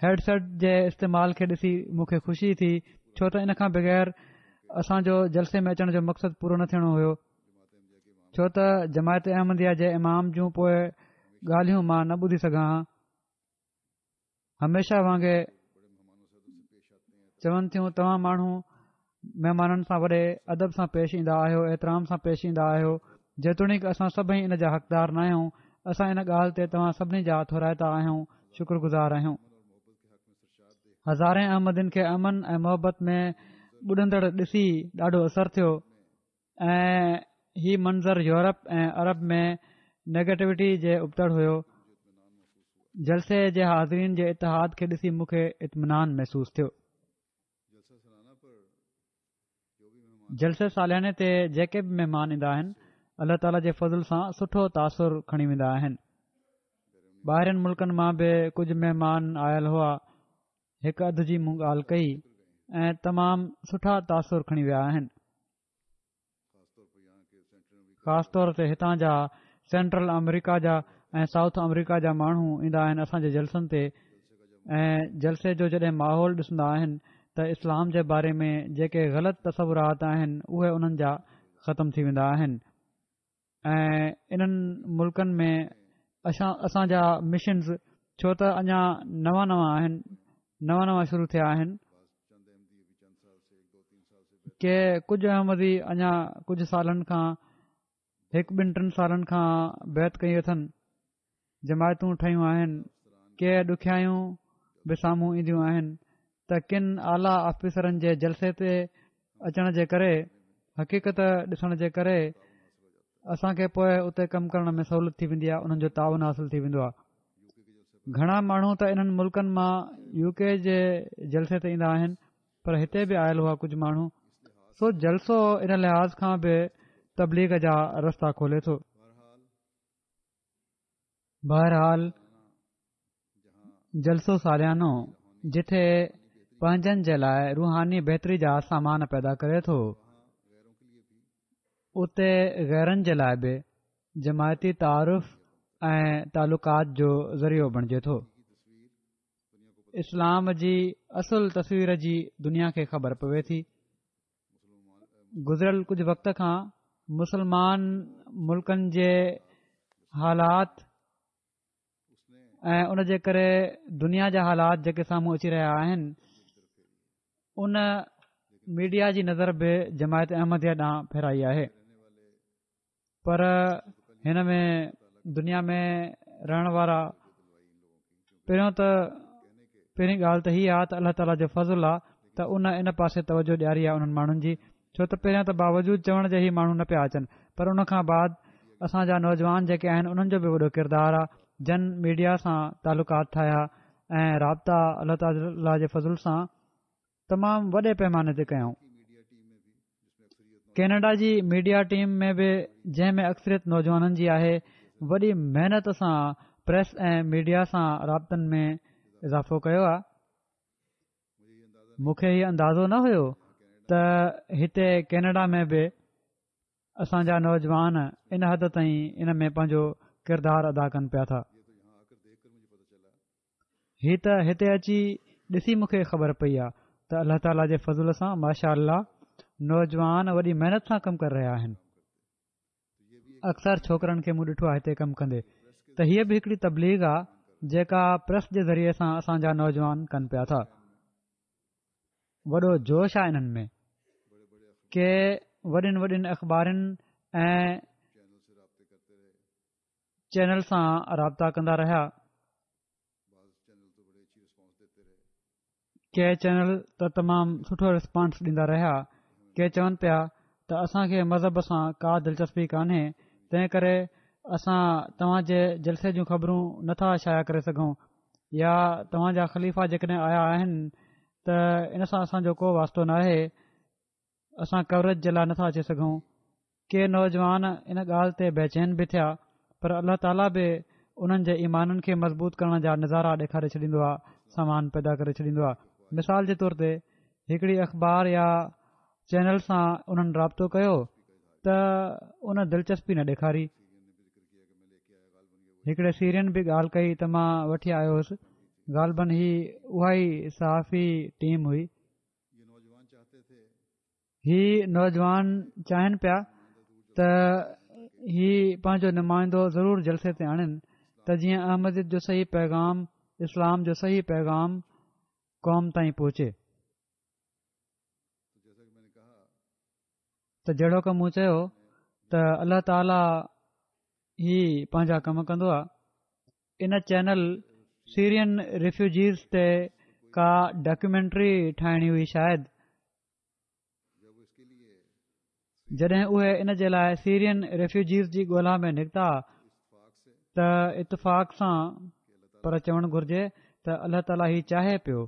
هيڊ سيٽ جي استعمال کي ڏسي مون کي خوشي ٿي ڇو ته ان کان بغير اسان جو جلسي ۾ اچڻ جو مقصد پورو نه ٿيڻو هيو ڇو ته جماعت احمديه جي امام جون پوء ڳالهيون مان نه ٻڌي سگهان ها هميشه وانگي چون ٿيون توهان ماڻهو مهمانن سان وڏي ادب سان پيش ايندا آهيو احترام سان پيش ايندا آهيو جيتوڻيڪ اسان سڀئي ان جا حقدار نه آهيون اسان ان ڳالهه تي توهان سڀني جا ٿورائتا آهيون شڪر گذار آهيون هزارين احمدين کي امن ۽ محبت ۾ ٻڏندڙ ڏسي ڏاڍو اثر ٿيو ۽ هي منظر يورپ ۽ عرب ۾ نيگيٽوٽي جي ابتڙ هيو. جلسي جي حاضرين جي اتحاد کي ڏسي مون کي اطمينان محسوس ٿيو. جلسي سالياني تي جيڪي به مهمان ايندا آهن الله تعالي جي فضل سان سٺو تاثر کڻي ويندا آهن. ٻاهرين ملڪن مان به ڪجهه مهمان آيل هئا. هڪ اڌ جي مون ڳالهه ڪئي ۽ تمام سٺا تاثر کڻي ويا آهن. خاص طور تي هتان جا سينٽرل آمريڪا جا ۽ سائوٿ آمريڪا جا ماڻهو ايندا آهن اسان جي جلسن تي ۽ جلسي جو جڏهن ماحول ڏسندا آهن ته اسلام جي باري ۾ جيڪي غلط تصورات آهن اهي انهن جا ختم ٿي ويندا آهن ۽ انهن ملڪن ۾ اسان جا مشنز ڇو ته اڃا نوان نوان آهن نوان نوان شروع ٿيا آهن ڪي ڪجهه احمدي اڃا ڪجهه سالن کان هڪ ٻن ٽن سالن کان بيعت ڪئي اٿن جماعتون ٺهيون آهن ڪي ڏکيائيون به سامهون اينديون آهن ته ڪن اعليٰ آفيسرن جي جلسي تي اچڻ جي ڪري حقيقت ڏسڻ جي ڪري اسان کي پوء اتي ڪم ڪرڻ ۾ سهولت ٿي ويندي آهي انهن جو تعاون حاصل ٿي ويندو آهي گهڻا ماڻهو ته انهن ملڪن مان يو ڪي جي جلسي تي ايندا آهن پر هتي به آيل هئا ڪجهه ماڻهو سو جلسو ان لحاظ کان به تبليغ جا رستا کولي ٿو بهرحال جلسو ساليانو جتي پنهنجن جي لاء روحاني بهتري جا سامان پيدا ڪري ٿو اتي غيرن جي لاء به جماعتي تعارف ۽ تعلقات جو ذريعو بڻجي ٿو اسلام جي اصل تصوير جي دنيا کي خبر پوي ٿي گذريل ڪجهه وقت کان مسلمان ملڪن جي حالات ۽ ان جي ڪري دنيا جا حالات جيڪي سامهون اچي رهيا آهن ان ميڊيا جي نظر به جماعت احمديه ڏانهن ڦيرائي آهي پر هن ۾ دنيا ۾ رهڻ وارا پهريون ته پهرين ڳالهه ته هي آهي ته الله تعاليٰ جو فضل آهي ته ان ان پاسي توجه ڏياري آهي انهن ماڻهن جي ڇو ته پهريان ته باوجود چوڻ جي هي ماڻهو نه پيا اچن پر ان کان بعد اسان جا نوجوان جيڪي آهن انهن جو به وڏو ڪردار آهي جن ميڊيا سان تعلقات ٺاهيا ۽ رابطا الله تعاليٰ جي فضل سان تمام وڏي پيماني تي ڪيائون. ڪينيڊا جي ميڊيا ٽيم ۾ به جنهن ۾ اڪثريت نوجوانن جي آهي وڏي محنت سان پريس ۽ ميڊيا سان رابطن ۾ اضافو ڪيو آهي. مون کي هي اندازو نه هيو ته هتي ڪينيڊا ۾ به اسان جا نوجوان ان حد تائين ان ۾ پنهنجو ڪردار ادا ڪن پيا ٿا. هي ته هتي اچي ڏسي مون کي خبر پئي آ ته الله تعاليٰ جي فضل سان ماشاء الله نوجوان وڏي محنت سان ڪم ڪري رهيا آهن. اڪثر ڇوڪرن کي مون ڏٺو آ هتي ڪم ڪندي ته هيء به هڪڙي تبليغ آ جيڪا پريس جي ذريعي سان اسان جا نوجوان ڪن پيا ٿا. وڏو جوش آ انهن ۾. ڪي وڏين وڏين اخبارن ۽ چينل سان رابطا ڪندا رهيا. ڪي چينل ته تمام سٺو رسپانس ڏيندا رهيا. ڪي چون پيا ته اسان کي مذهب سان ڪا دلچسپي ڪانهي تنهن ڪري اسان توهان جي جلسي جون خبرون نٿا شايع ڪري سگهون يا توهان جا خليفا جيڪڏهن آيا آهن ته ان سان اسان جو ڪو واسطو ناهي. اسان ڪوريج جي لاء نٿا اچي سگهون. ڪي نوجوان ان ڳالهه تي بيچين به ٿيا پر الله تعاليٰ به انهن جي ايمانن کي مضبوط ڪرڻ جا نظارا ڏيکاري ڇڏيندو آهي سامان پيدا ڪري ڇڏيندو آهي مثال جي طور تي هڪڙي اخبار يا چينل سان انهن رابطو ڪيو ته ان دلچسپي نه ڏيکاري هڪڙي سيرين به ڳالهه ڪئي ته مان وٺي آيو هوس غالبن هي اها ئي صحافي ٽيم هئي هي نوجوان چاهين پيا ته هي پنهنجو نمائندو ضرور جلسي تي آڻين ته جيئن احمديت جو صحيح پيغام اسلام جو صحيح پيغام قوم تائين پهچي ته جهڙوڪ مون چيو ته الله تعاليٰ هي پنهنجا ڪم ڪندو آهي ان چينل سيرين ريفيوجيز تي ڪا ڊاڪيومينٽري ٺاهڻي هئي شايد جڏهن اهي ان جي لاء سيرين ريفيوجيز جي ڳولا ۾ نڪتا ته اتفاق سان پر چوڻ گهرجي ته الله تعاليٰ هي چاهي پيو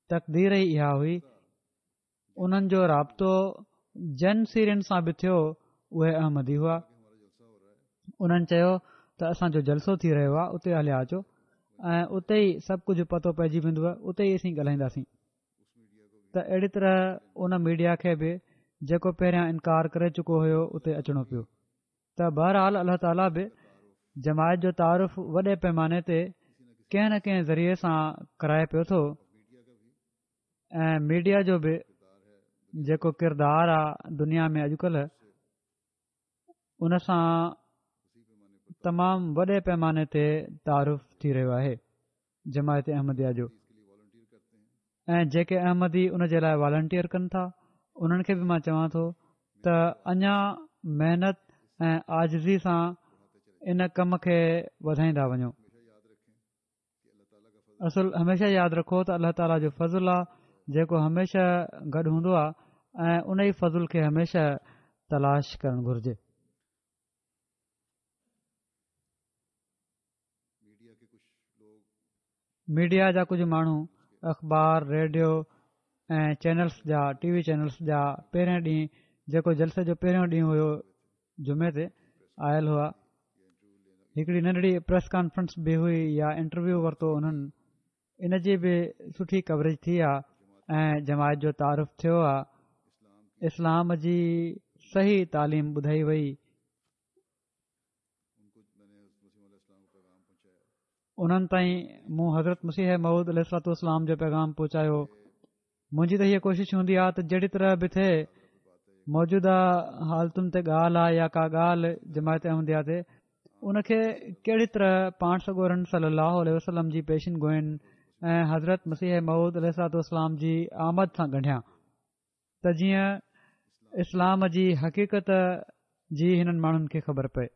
تقدير ئي اها هئي انهن جو رابطو جن سيرين سان به ٿيو اهي احمدي هئا انهن چيو ته اسان جو جلسو ٿي رهيو آهي اتي هليا اچو ۽ اتي ئي سڀ ڪجهه پتو پئجي ويندو اتي ئي اسين ڳالهائينداسين ته اهڙي طرح ان ميڊيا کي به جيڪو پهريان انڪار ڪري چڪو هيو اتي اچڻو پيو ته بهرحال الله تعاليٰ به جماعت جو تعارف وڏي پيماني تي ڪنهن نه ڪنهن ذريعي سان ڪرائي پيو ٿو ۽ ميڊيا جو به جيڪو ڪردار آ دنيا ۾ اڄڪلهه ان سان تمام وڏي پيماني تي تعارف ٿي رهيو آهي جماعت احمديه جو ۽ جيڪي احمدي ان جي لاء والنٽيئر ڪن ٿا انهن کي به مان چوان ٿو ته اڃا محنت ۽ عاجزي سان ان ڪم کي وڌائيندا وڃو اصل هميشه ياد رکو ته الله تعاليٰ جو فضل آ جيڪو هميشه گڏ هوندو آ ۽ ان ئي فضل کي هميشه تلاش ڪرڻ گهرجي. ميڊيا جا ڪجهه ماڻهو اخبار، ريڊيو ۽ چينلز جا ٽي وي چينلز جا پهرين ڏينهن جيڪو جلسي جو پهريون ڏينهن هيو جمعي تي آيل هئا هڪڙي ننڍڙي پريس ڪانفرنس به هئي يا انٽرويو ورتو انهن ان جي به سٺي ڪوريج ٿي آ ۽ جماعت جو تعارف ٿيو آ اسلام جي صحيح تعليم ٻڌائي وئي انهن تائين مون حضرت مسيح موعود عليه الصلوة والسلام جو پيغام پهچايو منهنجي ته هيء ڪوشش هوندي آهي ته جهڙي طرح به ٿئي موجوده حالتن تي ڳالهه آهي يا ڪا ڳالهه جماعت احمديه تي ان کي ڪهڙي طرح پاڻ سڳورن صلي الله عليه وسلم جي پيشن گوئين ۽ حضرت مسيح موعود عليه الصلوة والسلام جي آمد سان ڳنڍيان ته جيئن اسلام جي حقيقت جي هنن ماڻهن کي خبر پئي.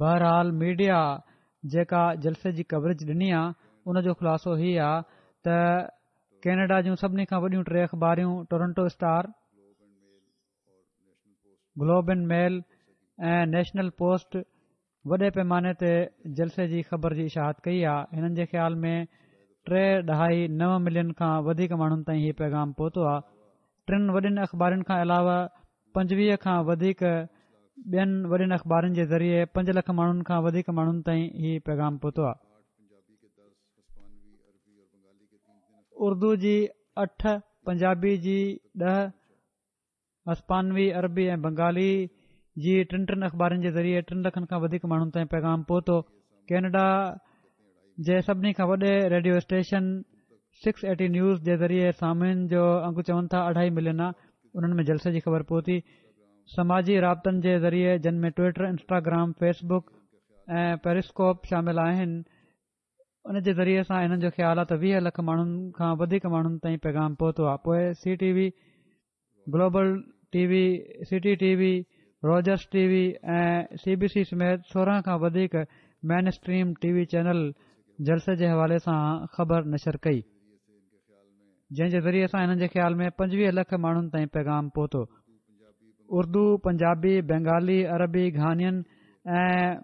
بهرحال ميڊيا جيڪا جلسي جي ڪوريج ڏني آ ان جو خلاصو هي آ ته ڪينيڊا جون سڀني کان وڏيون ٽي اخباريون Toronto Star, Globe and Mail ۽ National Post وڏي پيماني تي جلسي جي خبر جي اشاعت ڪئي آ هنن جي خيال ۾ 3.9 ملين کان وڌيڪ ماڻهن تائين هي پيغام پهتو آ ٽن وڏين اخبارين کان علاوه 25 کان وڌيڪ ٻين وڏين اخبارن جي ذريعي 5 لک ماڻهن کان وڌيڪ ماڻهن تائين هي پيغام پهتو آ اردو جي اٺ پنجابي جي 10 هسپانوي، عربي ۽ بنگالي جي ٽن ٽن اخبارن جي ذريعي ٽن لکن کان وڌيڪ ماڻهن تائين پيغام پهتو. ڪينيڊا جي سڀني کان وڏي ريڊيو اسٽيشن 680 نيوز جي ذريعي سامعين جو انگ چون ٿا اڍائي ملين آ انهن ۾ جلسي جي خبر پهتي. سماجي رابطن جي ذريعي جن ۾ ٽوئٽر، انسٽاگرام، فيس بڪ ۽ پيريسڪوپ شامل آهن ان جي ذريعي سان انهن جو خيال آ ته 20 لک ماڻهن کان وڌيڪ ماڻهن تائين پيغام پهتو آ پوء C T V global T V, city T V, Rogers T V ۽ C B C سميت 16 کان وڌيڪ main stream T V channel جلسي جي حوالي سان خبر نشر ڪئي جنهن جي ذريعي سان هنن جي خيال ۾ 25 لک ماڻهن تائين پيغام پهتو. اردو، پنجابي، بينگالي، عربي، گهانين ۽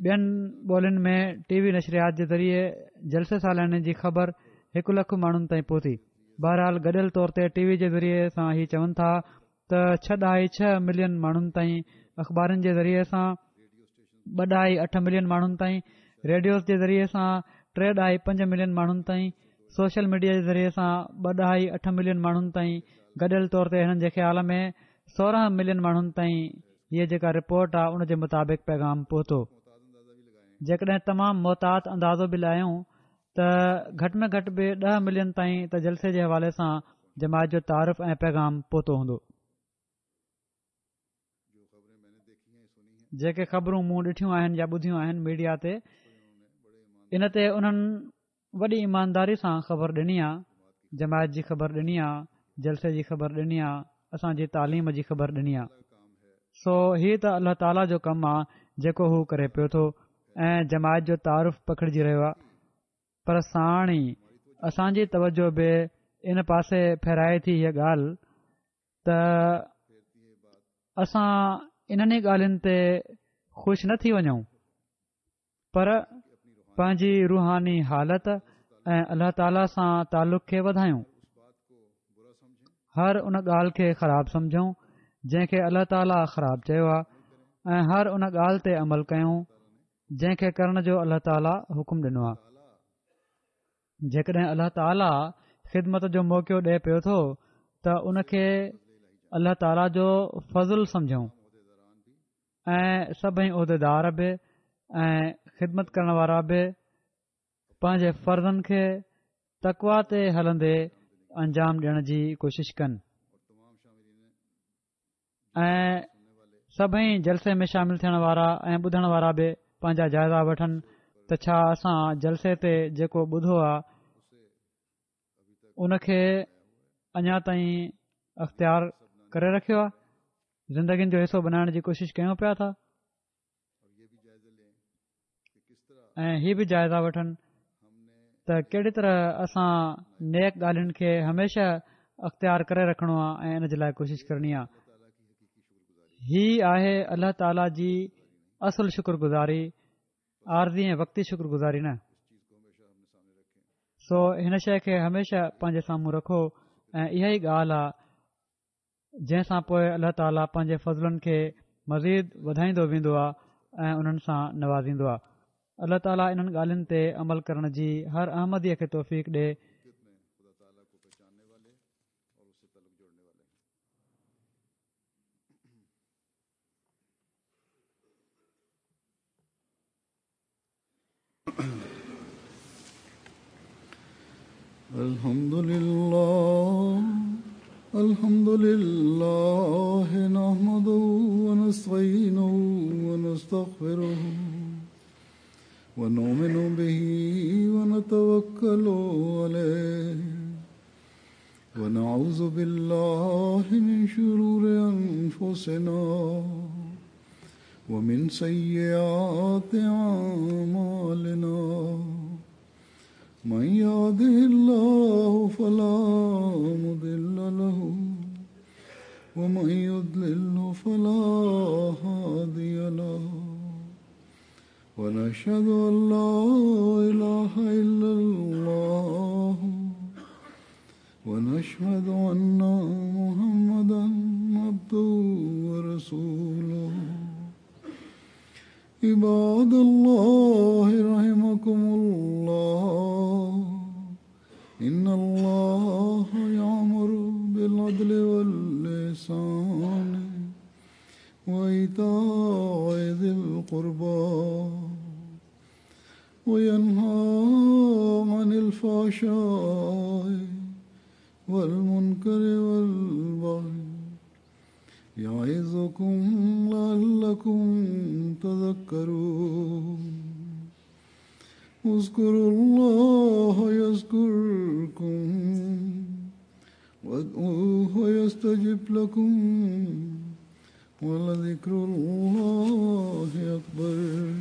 ٻين ٻولين ۾ ٽي وي نشريات جي ذريعي جلسي سالياني جي خبر هڪ لک ماڻهن تائين پهتي. بهرحال گڏيل طور تي ٽي وي جي ذريعي سان هي چون ٿا ته ڇهه ڏهائي ڇهه ملين ماڻهن تائين اخبارن جي ذريعي سان ٻه ڏهائي اٺ ملين ماڻهن تائين ريڊيوز جي ذريعي سان ٽي ڏهائي پنج ملين ماڻهن تائين سوشل ميڊيا جي ذريعي سان ٻه ڏهائي اٺ ملين ماڻهن تائين گڏيل طور تي هنن جي خيال ۾ 16 ملين ماڻهن تائين هيء جيڪا رپورٽ آ ان جي مطابق پيغام پهتو. جيڪڏهن تمام محتاط اندازو به لايون ته گهٽ ۾ گهٽ به ڏهه ملين تائين ته جلسي جي حوالي سان جماعت جو تعارف ۽ پيغام پهتو هوندو. جيڪي خبرون مون ڏٺيون آهن يا ٻڌيون آهن ميڊيا تي ان تي انهن وڏي ايمانداري سان خبر ڏني آ، جماعت جي خبر ڏني آ، جلسي جي خبر ڏني آ، اسان جي تعليم جي خبر ڏني آ. سو هي ته الله تعاليٰ جو ڪم آ جيڪو هو ڪري پيو ٿو ۽ جماعت جو تعارف پکڙجي رهيو آ پر ساڻ ئي اسان جي توجه به ان پاسي ڦيرائي ٿي هيء ڳالهه ته اسان انهن ئي ڳالهين تي خوش نه ٿي وڃون پر پنهنجي روحاني حالت ۽ الله تعاليٰ سان تعلق کي وڌايون هر ان ڳالهه کي خراب سمجهون جنهن کي الله تعاليٰ خراب چيو آهي ۽ هر ان ڳالهه تي عمل ڪيون جنهن کي ڪرڻ جو الله تعاليٰ حڪم ڏنو آهي جيڪڏهن الله تعاليٰ خدمت جو موقعو ڏئي پيو ٿو ته ان کي الله تعاليٰ جو فضل سمجهون ۽ سڀئي عهديدار به ۽ خدمت ڪرڻ وارا به پنهنجي فرضن کي تقوا تي هلندي انجام ڏيڻ جي ڪوشش ڪن ۽ سڀئي جلسي ۾ شامل ٿيڻ وارا ۽ ٻڌڻ وارا به پنهنجا جائزا وٺن ته ڇا اسان جلسي تي جيڪو ٻڌو آ ان کي اڃا تائين اختيار ڪري رکيو آهي زندگين جو حصو بنائڻ جي ڪوشش ڪيون پيا ٿا ۽ هي به جائزا وٺن ته ڪهڙي طرح اسان نيڪ ڳالهين کي هميشه اختيار ڪري رکڻو آهي ۽ ان جي لاء ڪوشش ڪرڻي آهي هي آهي الله تعاليٰ جي اصل شڪر گذاري عارضي ۽ وقتي شڪر گذاري نه. سو هن شيء کي هميشه پنهنجي سامهون رکو ۽ اها ئي ڳالهه آ جنهن سان پوء الله تعاليٰ پنهنجي فضلن کي مزيد وڌائيندو ويندو آ ۽ انهن سان نوازيندو آ. الله تعاليٰ انهن ڳالهين تي عمل ڪرڻ جي هر احمديء کي توفيق ڏي. الحمد لله الحمد لله نحمده ونستعينه ونستغفره ونؤمن به ونتوكل عليه ونعوذ بالله من شرور أنفسنا ومن سيئات أعمالنا من يهده الله فلا مضل له ومن يضلل فلا هادي له ونشهد أن لا إله إلا الله ونشهد أن محمدا عبده ورسوله عباد الله رحمكم الله إن الله يأمر بالعدل واللسان وإيتاء ذي القربى وينهى عن الفحشاء والمنكر والبغي يعظكم لعلكم تذكرون. اذكروا الله يذكركم وادعوه يستجب لكم ولذكر الله أكبر.